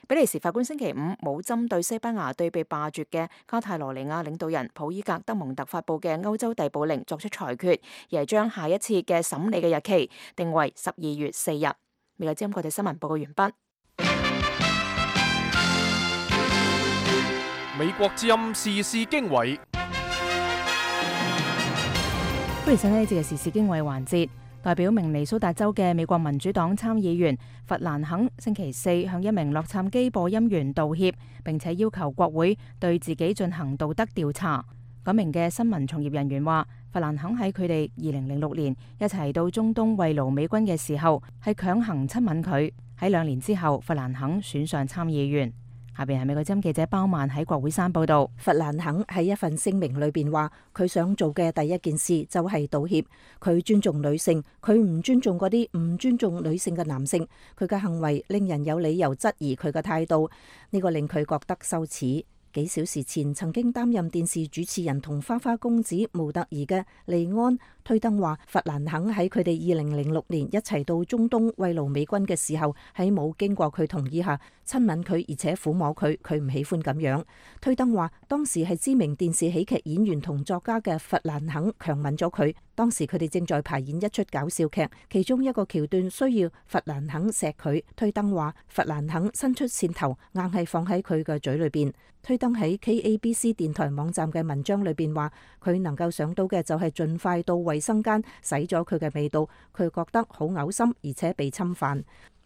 Speaker 2: 比利時法官星期五冇針對西班牙對被罷黜嘅卡泰羅尼亞領導人普伊格德蒙特發布嘅歐洲逮捕令作出裁決，而係將下一次嘅審理嘅日期定為十二月四日。美國之音國際新聞報告完畢。
Speaker 1: 美國之音時事經緯，
Speaker 2: 歡迎收睇呢節嘅時事經緯環節。代表明尼蘇達州嘅美國民主黨參議員弗蘭肯星期四向一名洛杉磯播音員道歉，並且要求國會對自己進行道德調查。嗰名嘅新聞從業人員話，弗蘭肯喺佢哋二零零六年一齊到中東慰勞美軍嘅時候，係強行親吻佢。喺兩年之後，弗蘭肯選上參議員。下邊係美國之音記者包曼喺國會山報道。
Speaker 11: 弗蘭肯喺一份聲明裏邊話，佢想做嘅第一件事就係道歉。佢尊重女性，佢唔尊重嗰啲唔尊重女性嘅男性。佢嘅行為令人有理由質疑佢嘅態度，呢個令佢覺得羞恥。幾小時前曾經擔任電視主持人同花花公子模特兒嘅利安推登話，弗蘭肯喺佢哋二零零六年一齊到中東慰勞美軍嘅時候，喺冇經過佢同意下親吻佢，而且撫摸佢，佢唔喜歡咁樣。推登話，當時係知名電視喜劇演員同作家嘅弗蘭肯強吻咗佢。當時佢哋正在排演一出搞笑劇，其中一個橋段需要弗蘭肯錫佢。推登話，弗蘭肯伸出線頭，硬係放喺佢嘅嘴裏邊。推登喺 K A B C 電台網站嘅文章裏邊話，佢能夠想到嘅就係盡快到衛生間洗咗佢嘅味道，佢覺得好嘔心，而且被侵犯。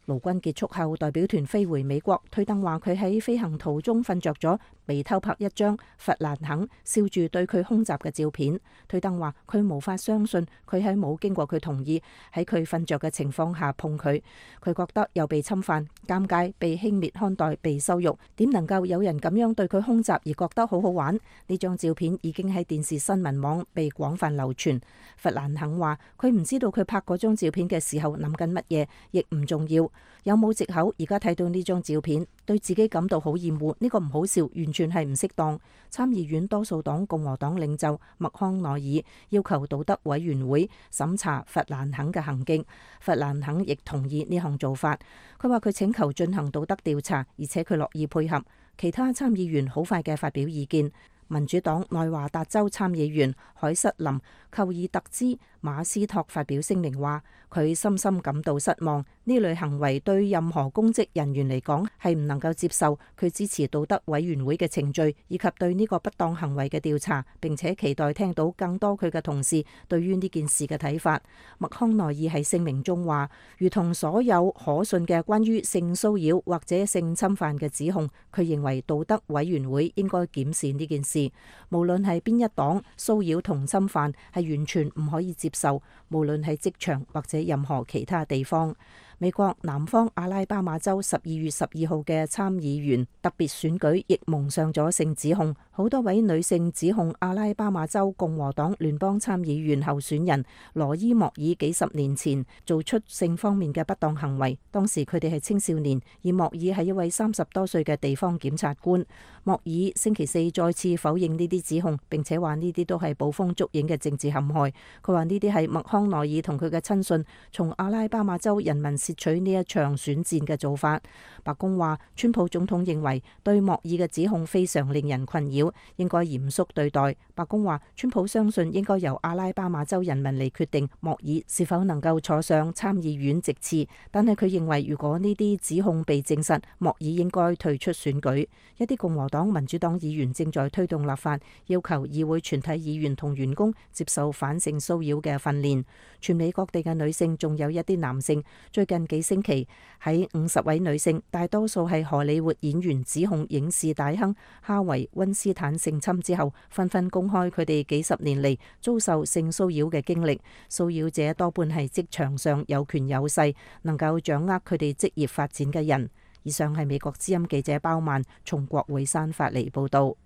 Speaker 11: 勞軍結束後，代表團飛回美國。推登話佢喺飛行途中瞓着咗，被偷拍一張弗蘭肯笑住對佢空襲嘅照片。推登話佢無法相信佢喺冇經過佢同意喺佢瞓着嘅情況下碰佢，佢覺得又被侵犯、尷尬、被輕蔑看待、被羞辱。點能夠有人咁樣對佢空襲而覺得好好玩？呢張照片已經喺電視新聞網被廣泛流傳。弗蘭肯話佢唔知道佢拍嗰張照片嘅時候諗緊乜嘢，亦唔重要。有冇藉口？而家睇到呢張照片，對自己感到好厭惡，呢個唔好笑，完全係唔適當。參議院多數黨共和黨領袖麥康奈爾要求道德委員會審查弗蘭肯嘅行徑，弗蘭肯亦同意呢項做法。佢話佢請求進行道德調查，而且佢樂意配合。其他參議員好快嘅發表意見。民主黨內華達州參議員海瑟琳寇爾特茲馬斯托發表聲明話，佢深深感到失望，呢類行為對任何公職人員嚟講係唔能夠接受。佢支持道德委員會嘅程序以及對呢個不當行為嘅調查，並且期待聽到更多佢嘅同事對於呢件事嘅睇法。麥康奈爾喺聲明中話，如同所有可信嘅關於性騷擾或者性侵犯嘅指控，佢認為道德委員會應該檢視呢件事。無論係邊一黨，騷擾同侵犯係完全唔可以接受，無論係職場或者任何其他地方。美國南方阿拉巴馬州十二月十二號嘅參議員特別選舉亦蒙上咗性指控，好多位女性指控阿拉巴馬州共和黨聯邦參議員候選人羅伊莫爾幾十年前做出性方面嘅不當行為，當時佢哋係青少年，而莫爾係一位三十多歲嘅地方檢察官。莫爾星期四再次否認呢啲指控，並且話呢啲都係捕風捉影嘅政治陷害。佢話呢啲係麥康奈爾同佢嘅親信從阿拉巴馬州人民竊取呢一場選戰嘅做法。白宮話，川普總統認為對莫爾嘅指控非常令人困擾，應該嚴肅對待。白宮話，川普相信應該由阿拉巴馬州人民嚟決定莫爾是否能夠坐上參議院席次，但係佢認為如果呢啲指控被證實，莫爾應該退出選舉。一啲共和黨、民主黨議員正在推動立法，要求議會全體議員同員工接受反性騷擾嘅訓練。全美各地嘅女性，仲有一啲男性，最近幾星期喺五十位女性，大多數係荷里活演員，指控影視大亨哈維溫斯坦性侵之後，紛紛公開佢哋幾十年嚟遭受性騷擾嘅經歷。騷擾者多半係職場上有權有勢，能夠掌握佢哋職業發展嘅人。以上係美國之音記者包曼從國會山發嚟報道。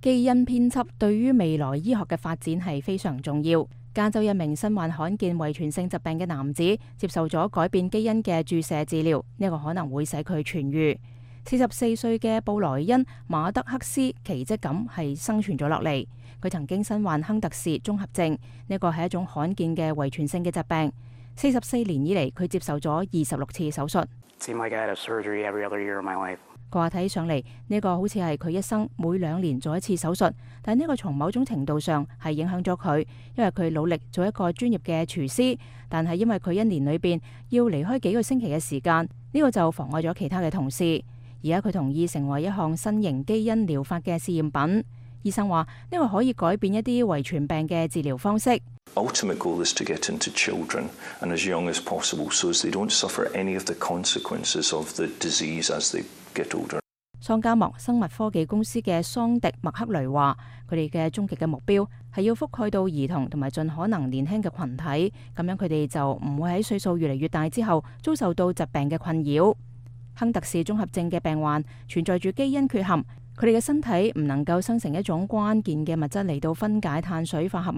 Speaker 2: 基因編輯對於未來醫學嘅發展係非常重要。加州一名身患罕見遺傳性疾病嘅男子接受咗改變基因嘅注射治療，呢個可能會使佢痊癒。四十四歲嘅布萊恩馬德克斯奇蹟咁係生存咗落嚟。佢曾經身患亨特氏綜合症，呢個係一種罕見嘅遺傳性嘅疾病。四十四年以嚟，佢接受咗二十六次手術。佢話睇起上嚟呢個好似係佢一生每兩年做一次手術，但呢個從某種程度上係影響咗佢，因為佢努力做一個專業嘅廚師，但係因為佢一年裏邊要離開幾個星期嘅時間，呢個就妨礙咗其他嘅同事。而家佢同意成為一項新型基因療法嘅試驗品。醫生話呢個可以改變一啲遺傳病嘅治療方式。
Speaker 12: Ultimate goal is to get into children and as young as possible, so as they don't suffer any of the consequences of the disease as they get older.
Speaker 2: 桑加莫生物科技公司嘅桑迪麥克雷話，佢哋嘅終極嘅目標係要覆蓋到兒童同埋盡可能年輕嘅群體，咁樣佢哋就唔會喺歲數越嚟越大之後遭受到疾病嘅困擾。亨特氏綜合症嘅病患存在住基因缺陷。佢哋嘅身體唔能夠生成一種關鍵嘅物質嚟到分解碳水化合物，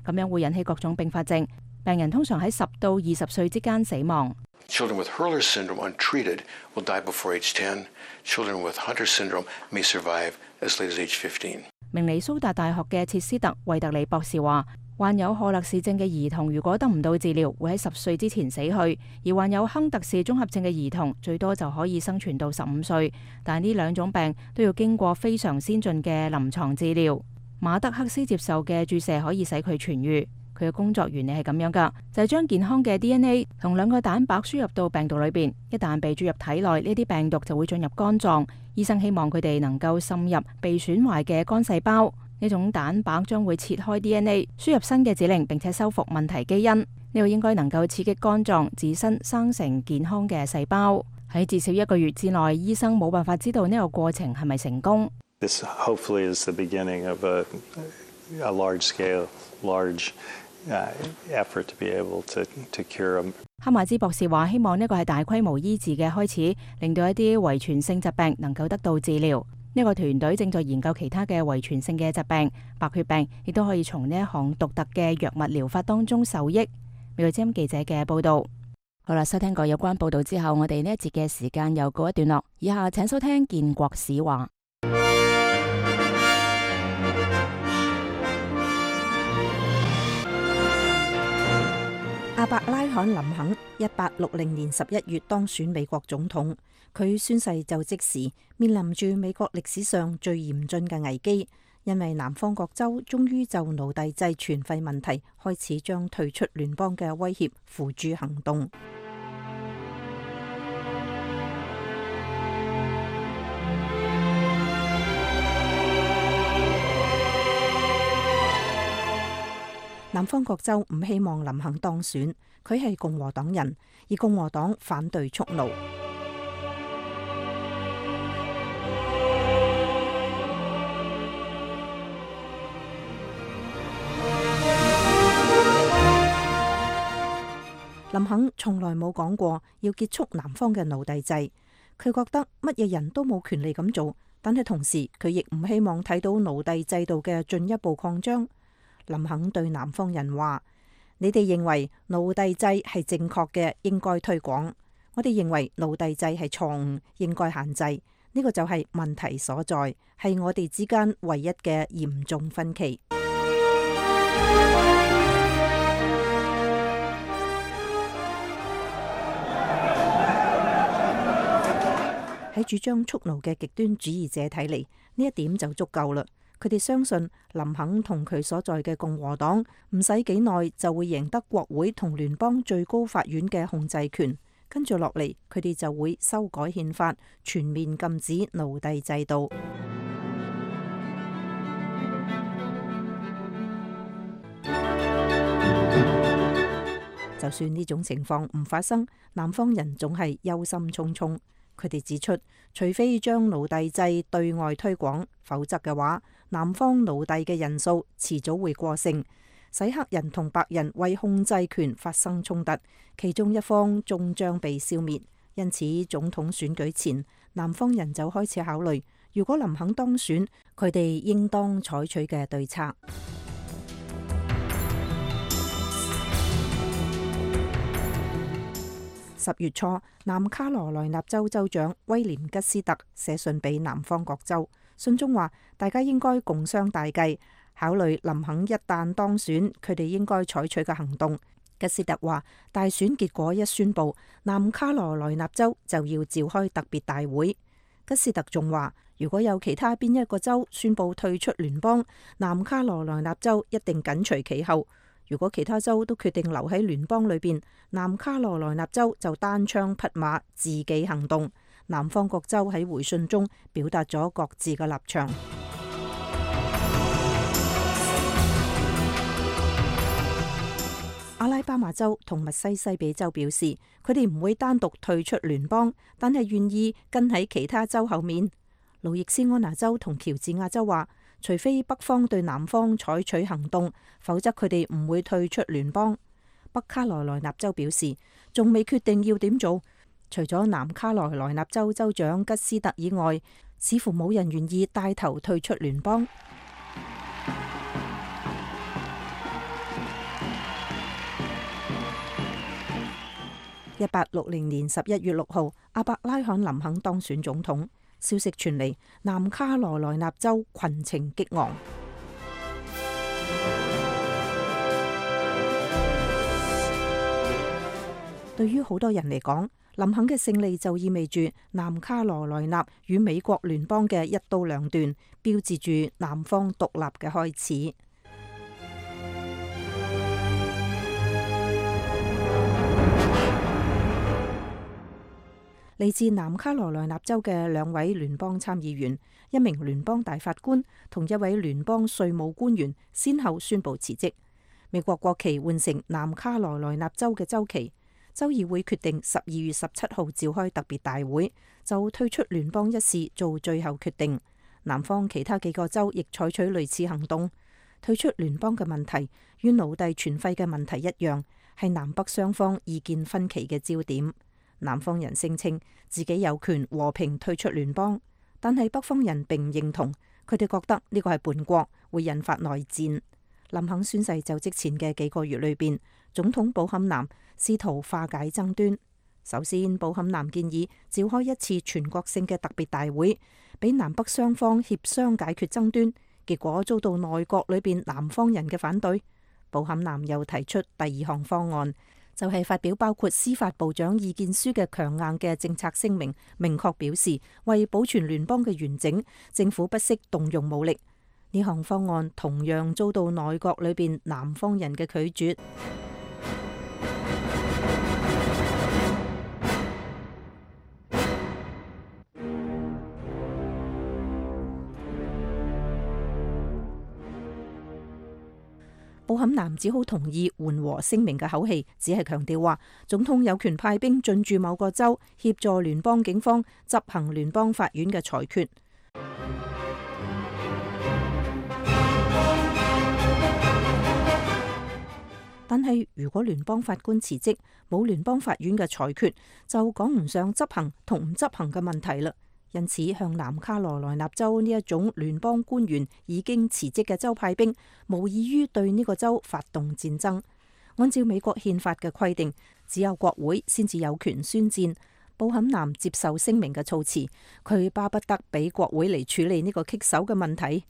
Speaker 2: 咁樣會引起各種併發症。病人通常喺十到二十歲之間死亡。
Speaker 13: Children with Hurler syndrome untreated will die before age ten. Children with Hunter syndrome may survive as late as age fifteen.
Speaker 2: 明尼蘇達大學嘅切斯特惠特里博士話，患有賀勒氏症嘅兒童如果得唔到治療，會喺十歲之前死去；而患有亨特氏綜合症嘅兒童最多就可以生存到十五歲。但係呢兩種病都要經過非常先進嘅臨床治療。馬德克斯接受嘅注射可以使佢痊癒。佢嘅工作原理係咁樣㗎，就係將健康嘅 D N A 同兩個蛋白輸入到病毒裏邊。一旦被注入體內，呢啲病毒就會進入肝臟。醫生希望佢哋能夠滲入被損壞嘅肝細胞。呢種蛋白將會切開 D N A， 輸入新嘅指令，並且修復問題基因。呢個應該能夠刺激肝臟自身生成健康嘅細胞。喺至少一個月之內，醫生冇辦法知道呢個過程係咪成功。
Speaker 14: This hopefully is the beginning of a, a large scale, large uh, effort to be able to, to cure them.
Speaker 2: 哈馬茲博士話：希望呢個係大規模醫治嘅開始，令到一啲遺傳性疾病能夠得到治療。呢個團隊正在研究其他嘅遺傳性嘅疾病，白血病亦都可以從呢一項獨特嘅藥物療法當中受益。美國之音記者嘅報道。好啦，收聽過有關報道之後，我哋呢一節嘅時間又告一段落。以下請收聽建國史話。
Speaker 11: 亞伯拉罕林肯一八六零年十一月當選美國總統，佢宣誓就職時面臨住美國歷史上最嚴峻嘅危機，因為南方各州終於就奴隸制全廢問題開始將退出聯邦嘅威脅付諸行動。南方各州唔希望林肯當選，佢係共和黨人，而共和黨反對蓄奴。林肯從來冇講過要結束南方嘅奴隸制，佢覺得乜嘢人都冇權利咁做，但係同時佢亦唔希望睇到奴隸制度嘅進一步擴張。林肯對南方人話：你哋認為奴隸制係正確嘅，應該推廣；我哋認為奴隸制係錯誤，應該限制。呢個就係問題所在，係我哋之間唯一嘅嚴重分歧。喺主張蓄奴嘅極端主義者睇嚟，呢一點就足夠啦。佢哋相信林肯同佢所在嘅共和黨唔使幾耐就會贏得國會同聯邦最高法院嘅控制權，跟住落嚟佢哋就會修改憲法，全面禁止奴隸制度。就算呢種情況唔發生，南方人總係憂心忡忡。佢哋指出，除非將奴隸制對外推廣，否則嘅話，南方奴隸嘅人數遲早會過剩，使黑人同白人為控制權發生衝突，其中一方終將被消滅。因此，總統選舉前，南方人就開始考慮，如果林肯當選，佢哋應當採取嘅對策。十月初，南卡羅來納州州長威廉吉斯特寫信俾南方各州，信中話大家應該共商大計，考慮林肯一旦當選，佢哋應該採取嘅行動。吉斯特話，大選結果一宣佈，南卡羅來納州就要召開特別大會。吉斯特仲話，如果有其他邊一個州宣布退出聯邦，南卡羅來納州一定緊隨其後。如果其他州都決定留喺聯邦裏邊，南卡羅來納州就單槍匹馬自己行動。南方各州喺回信中表達咗各自嘅立場。阿拉巴馬州同密西西比州表示，佢哋唔會單獨退出聯邦，但係願意跟喺其他州後面。路易斯安那州同喬治亞州話，除非北方對南方採取行動，否則佢哋唔會退出聯邦。北卡羅來納州表示，仲未決定要點做。除咗南卡羅來納州州長吉斯特以外，似乎冇人願意帶頭退出聯邦。一八六零年十一月六號，阿伯拉罕林肯當選總統。消息傳嚟，南卡羅來納州群情激昂。對於好多人嚟講，林肯嘅勝利就意味住南卡羅來納與美國聯邦嘅一刀兩斷，標誌住南方獨立嘅開始。嚟自南卡羅來納州嘅兩位聯邦參議員、一名聯邦大法官同一位聯邦稅務官員，先後宣布辭職。美國國旗換成南卡羅來納州嘅州旗。州議會決定十二月十七號召開特別大會，就退出聯邦一事做最後決定。南方其他幾個州亦採取類似行動。退出聯邦嘅問題與奴隸存廢嘅問題一樣，係南北雙方意見分歧嘅焦點。南方人聲稱自己有權和平退出聯邦，但係北方人並唔認同，佢哋覺得呢個係叛國，會引發內戰。林肯宣誓就職前嘅幾個月裏邊，總統布坎南試圖化解爭端。首先，布坎南建議召開一次全國性嘅特別大會，俾南北雙方協商解決爭端，結果遭到內閣裏邊南方人嘅反對。布坎南又提出第二項方案，就係發表包括司法部長意見書嘅強硬嘅政策聲明，明確表示為保存聯邦嘅完整，政府不惜動用武力。呢項方案同樣遭到內閣裏邊南方人嘅拒絕。布坎南只好同意緩和聲明嘅口氣，只係強調話總統有權派兵進駐某個州，協助聯邦警方執行聯邦法院嘅裁決。但係如果聯邦法官辭職，冇聯邦法院嘅裁決，就講唔上執行同唔執行嘅問題啦。因此，向南卡羅來納州呢一種聯邦官員已經辭職嘅州派兵，無異於對呢個州發動戰爭。按照美國憲法嘅規定，只有國會先至有權宣戰。布坎南接受聲明嘅措辭，佢巴不得俾國會嚟處理呢個棘手嘅問題。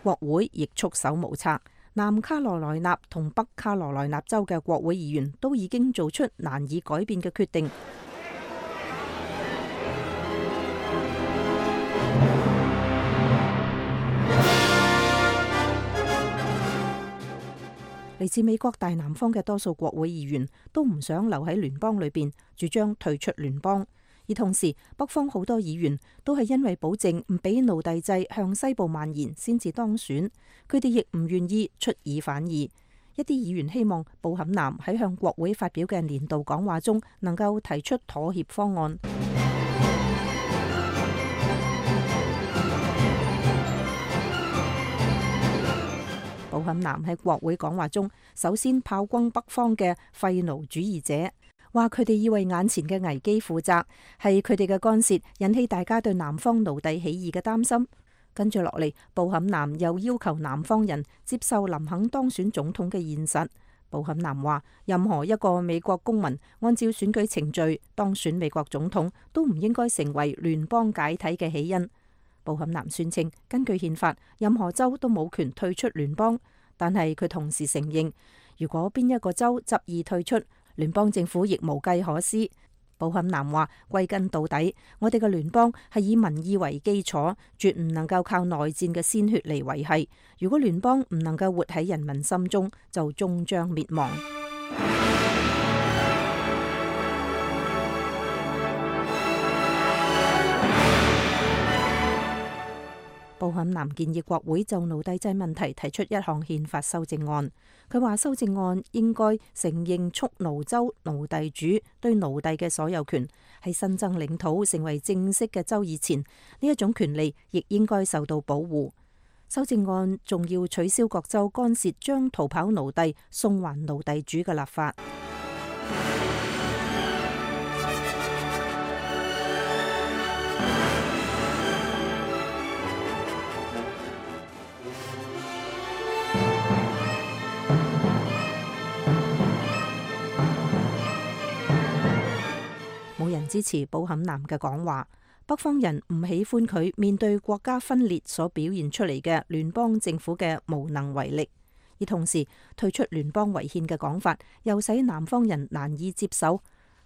Speaker 11: 國會亦束手無策。南卡羅來納同北卡羅來納州嘅國會議員都已經做出難以改變嘅決定。嚟自美國大南方嘅多數國會議員都唔想留喺聯邦裏邊，主張退出聯邦。而同時，北方好多議員都係因為保證唔俾奴隸制向西部蔓延，先至當選。佢哋亦唔願意出爾反爾。一啲議員希望布坎南喺向國會發表嘅年度講話中，能夠提出妥協方案。布坎南喺國會講話中，首先炮轟北方嘅廢奴主義者，話佢哋要為眼前嘅危機負責，係佢哋嘅干涉引起大家對南方奴隸起義嘅擔心。跟住落嚟，布坎南又要求南方人接受林肯當選總統嘅現實。布坎南話，任何一個美國公民按照選舉程序當選美國總統，都唔應該成為聯邦解體嘅起因。布坎南宣稱，根據憲法，任何州都冇權退出聯邦，但係佢同時承認，如果邊一個州執意退出，聯邦政府亦無計可施。布坎南話：歸根到底，我哋嘅聯邦係以民意為基礎，絕唔能夠靠內戰嘅鮮血嚟維繫。如果聯邦唔能夠活喺人民心中，就終將滅亡。布坎南建議國會就奴隸制問題提出一項憲法修正案。佢話修正案應該承認蓄奴州奴隸主對奴隸嘅所有權，喺新增領土成為正式嘅州以前，呢一種權利亦應該受到保護。修正案仲要取消各州干涉將逃跑奴隸送還奴隸主嘅立法。冇人支持布坎南嘅講話，北方人唔喜歡佢面對國家分裂所表現出嚟嘅聯邦政府嘅無能為力，而同時退出聯邦違憲嘅講法又使南方人難以接受。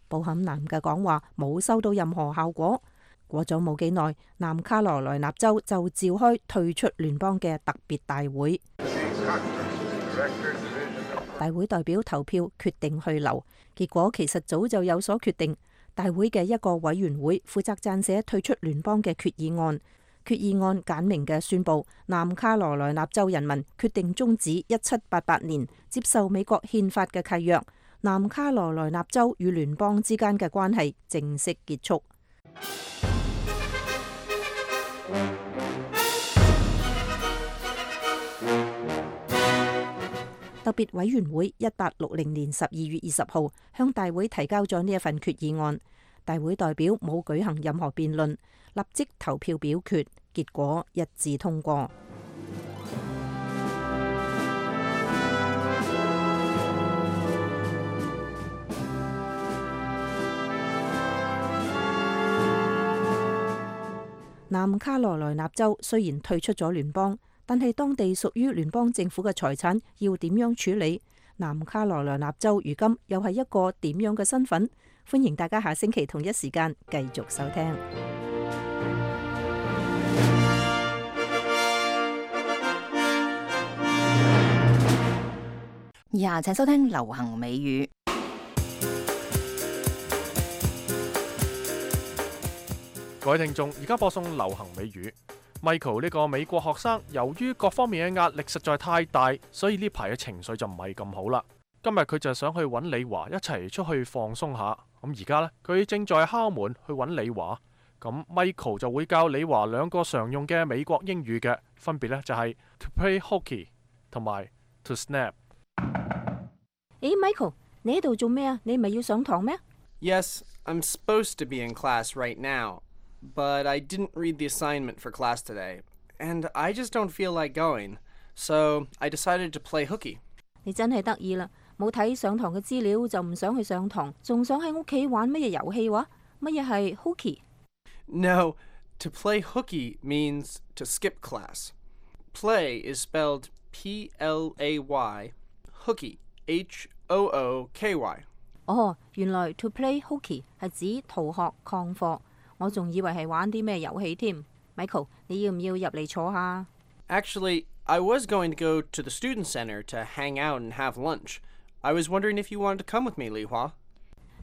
Speaker 11: 布坎南嘅講話冇收到任何效果。過咗冇幾耐，南卡羅來納州就召開退出聯邦嘅特別大會，大會代表投票決定去留，結果其實早就有所決定。大會嘅一個委員會負責撰寫退出聯邦嘅決議案，決議案簡明嘅宣布南卡羅來納州人民決定終止一七八八年接受美國憲法嘅契約，南卡羅來納州與聯邦之間嘅關係正式結束。特別委員會一八六零年十二月二十號向大會提交咗呢一份決議案，大會代表冇舉行任何辯論，立即投票表決，結果一致通過。南卡羅來納州雖然退出咗聯邦，但係當地屬於聯邦政府嘅財產要點樣處理？南卡羅來納州如今又係一個點樣嘅身份？歡迎大家下星期同一時間繼續收聽。
Speaker 2: 以下請收聽流行美語。
Speaker 1: 各位聽眾，而家播送流行美語。Michael 呢個美國學生，由於各方面嘅壓力實在太大，所以呢排嘅情緒就唔係咁好啦。今日佢就想去揾李華一齊出去放鬆下。咁而家呢，佢正在敲門去揾李華。咁 Michael 就會教李華兩個常用嘅美國英語嘅，分別呢就係 to play hooky 同埋 to snap。
Speaker 11: 誒 ，Michael， 你喺度做咩啊？你唔係要上堂咩？
Speaker 15: Yes, I'm supposed to be in class right now, but I didn't read the assignment for class today, and I just don't feel like going, so I decided to play hooky.
Speaker 11: 你真係得意啦！冇睇上堂嘅資料就唔想去上堂，仲想喺屋企玩乜嘢遊戲話？乜嘢係 hooky？
Speaker 15: No, to play hooky means to skip class. Play is spelled P L A Y, hooky, H O O K Y.
Speaker 11: 哦，原來 to play hooky 係指逃學曠課，我仲以為係玩啲咩遊戲添。Michael， 你要唔要入嚟坐下？
Speaker 15: Actually, I was going to go to the student center to hang out and have lunch. I was wondering if you wanted to come with me, Li Hua.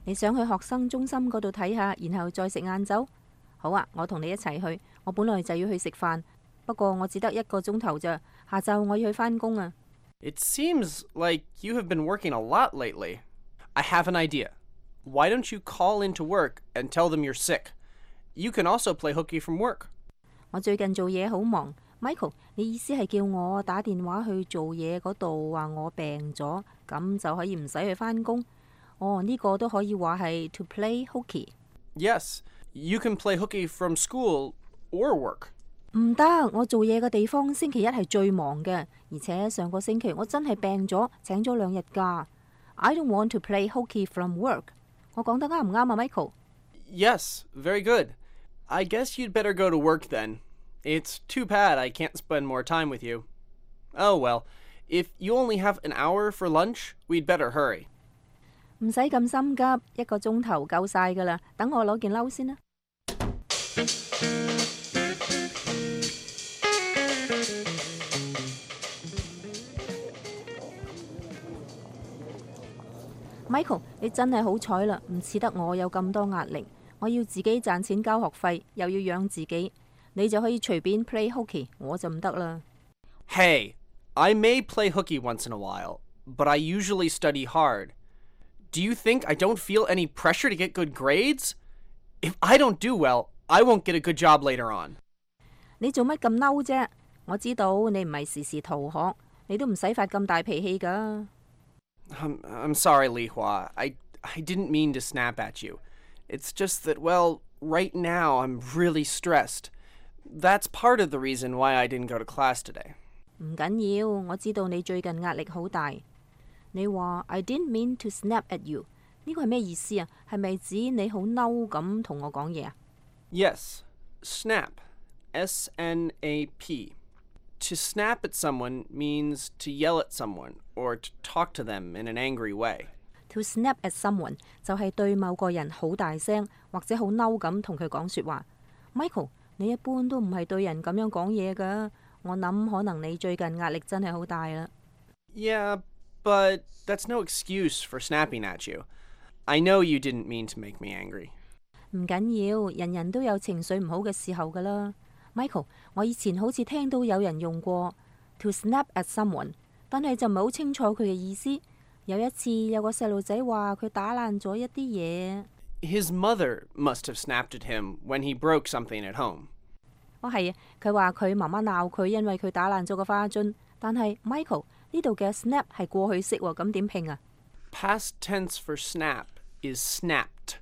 Speaker 11: 你想去學生中心嗰度睇下，然後再食晏晝？好啊，我同你一齊去。我本來就要去食飯，不過我只得一個鐘頭咋，下晝我要去返工啊。
Speaker 15: It seems like you have been working a lot lately. I have an idea. Why don't you call into work and tell them you're sick? You can also play hooky from work.
Speaker 11: 我最近做嘢好忙。Michael， 你意思係叫我打電話去做嘢嗰度話我病咗，咁就可以唔使去返工？哦，呢個都可以話係 to play hooky.
Speaker 15: Yes, you can play hooky from school or work.
Speaker 11: 唔得，我做嘢嘅地方星期一係最忙嘅，而且上個星期我真係病咗，請咗兩日假。I don't want to play hooky from work. 我講得啱唔啱啊 ，Michael？
Speaker 15: Yes, very good. I guess you'd better go to work then. It's too bad I can't spend more time with you. Oh well, If you only have an hour for lunch, we'd better hurry.
Speaker 11: 唔使咁心急，一個鐘頭夠晒㗎啦。等我攞件褸先啦。Michael， 你真係好彩啦，唔似得我有咁多壓力。我要自己賺錢交學費，又要養自己，你就可以隨便 play hooky， 我就唔得啦。
Speaker 15: Hey, I may play hooky once in a while, but I usually study hard. Do you think I don't feel any pressure to get good grades? If I don't do well, I won't get a good job later on.
Speaker 11: 你做乜咁嬲啫？我知道你唔係時時逃學，你都唔使發咁大脾氣㗎。
Speaker 15: I'm, I'm sorry, Li Hua. I, I didn't mean to snap at you. It's just that, well, right now I'm really stressed. That's part of the reason why I didn't go to class today.
Speaker 11: 唔緊要，我知道你最近壓力好大。你話 I didn't mean to snap at you， 呢個係咩意思啊？係咪指你好嬲咁同我講嘢啊？
Speaker 15: Yes, snap, S N A P. To snap at someone means to yell at someone or to talk to them in an angry way.
Speaker 11: To snap at someone 就係對某個人好大聲或者好嬲咁同佢講說話。Michael， 你一般都唔係對人咁樣講嘢㗎。我諗可能你最近壓力真係好大啦。
Speaker 15: Yeah, but that's no excuse for snapping at you. I know you didn't mean to make me angry.
Speaker 11: 唔緊要，人人都有情緒唔好嘅時候㗎啦。Michael， 我以前好似聽到有人用過 to snap at someone， 但係就唔係好清楚佢嘅意思。有一次有個細路仔話佢打爛咗一啲嘢。
Speaker 15: His mother must have snapped at him when he broke something at home.
Speaker 11: 哦係啊，佢話佢媽媽鬧佢，因為佢打爛咗個花樽。但係 Michael 呢度嘅 snap 係過去式喎，咁點拼啊？
Speaker 15: Past tense for snap is snapped.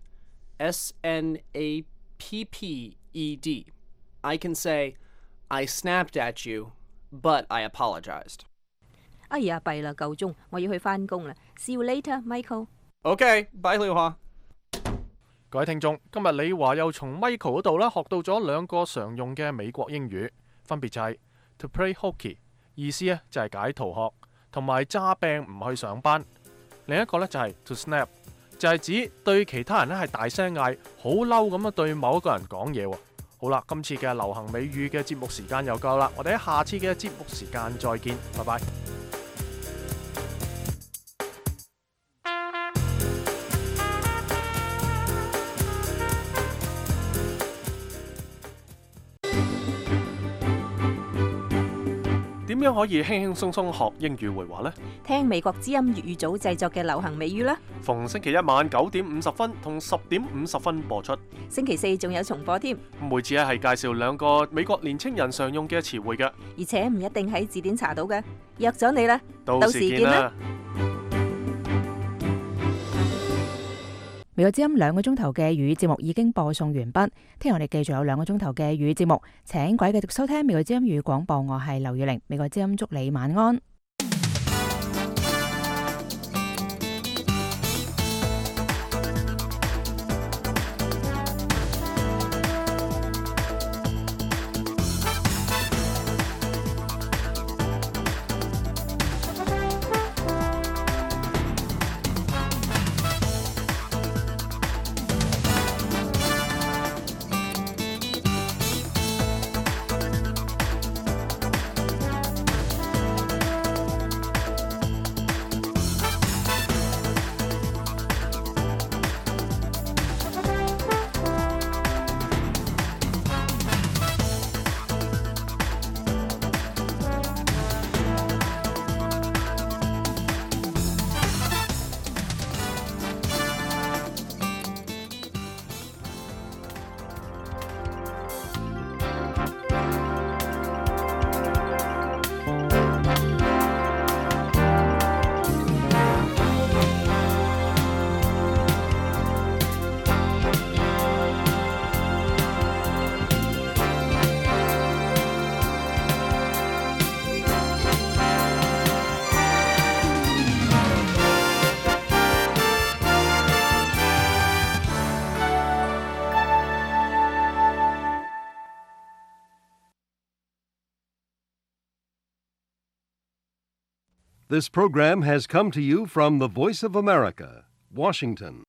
Speaker 15: S N A P P E D. I can say, I snapped at you, but I apologized.
Speaker 11: 哎呀，弊啦，夠鐘，我要去返工啦。See you later, Michael.
Speaker 15: Okay, bye, 李華。
Speaker 1: 各位聽眾，今日李華又從 Michael 嗰度啦學到咗兩個常用嘅美國英語，分別就係 to play hooky， 意思咧就係解逃學，同埋詐病唔去上班。另一個咧就係 to snap， 就係指對其他人咧係大聲嗌，好嬲咁樣對某一個人講嘢喎。好啦，今次嘅流行美語嘅節目時間又夠啦，我哋喺下次嘅節目時間再見，拜拜。點樣可以輕輕鬆鬆學英語會話呢？
Speaker 11: 聽美國之音粵語組製作嘅流行美語啦。
Speaker 1: 逢星期一晚九點五十分同十點五十分播出。
Speaker 11: 星期四仲有重播添。
Speaker 1: 每次咧係介紹兩個美國年青人常用嘅詞彙嘅，
Speaker 11: 而且唔一定喺字典查到嘅。約咗你啦，
Speaker 1: 到時見啦。
Speaker 2: 美國之音兩個鐘頭嘅粵語節目已經播送完畢，聽日我哋繼續有兩個鐘頭嘅粵語節目，請各位繼續收聽美國之音粵語廣播，我係劉月玲，美國之音祝你晚安。
Speaker 16: This program has come to you from the Voice of America, Washington.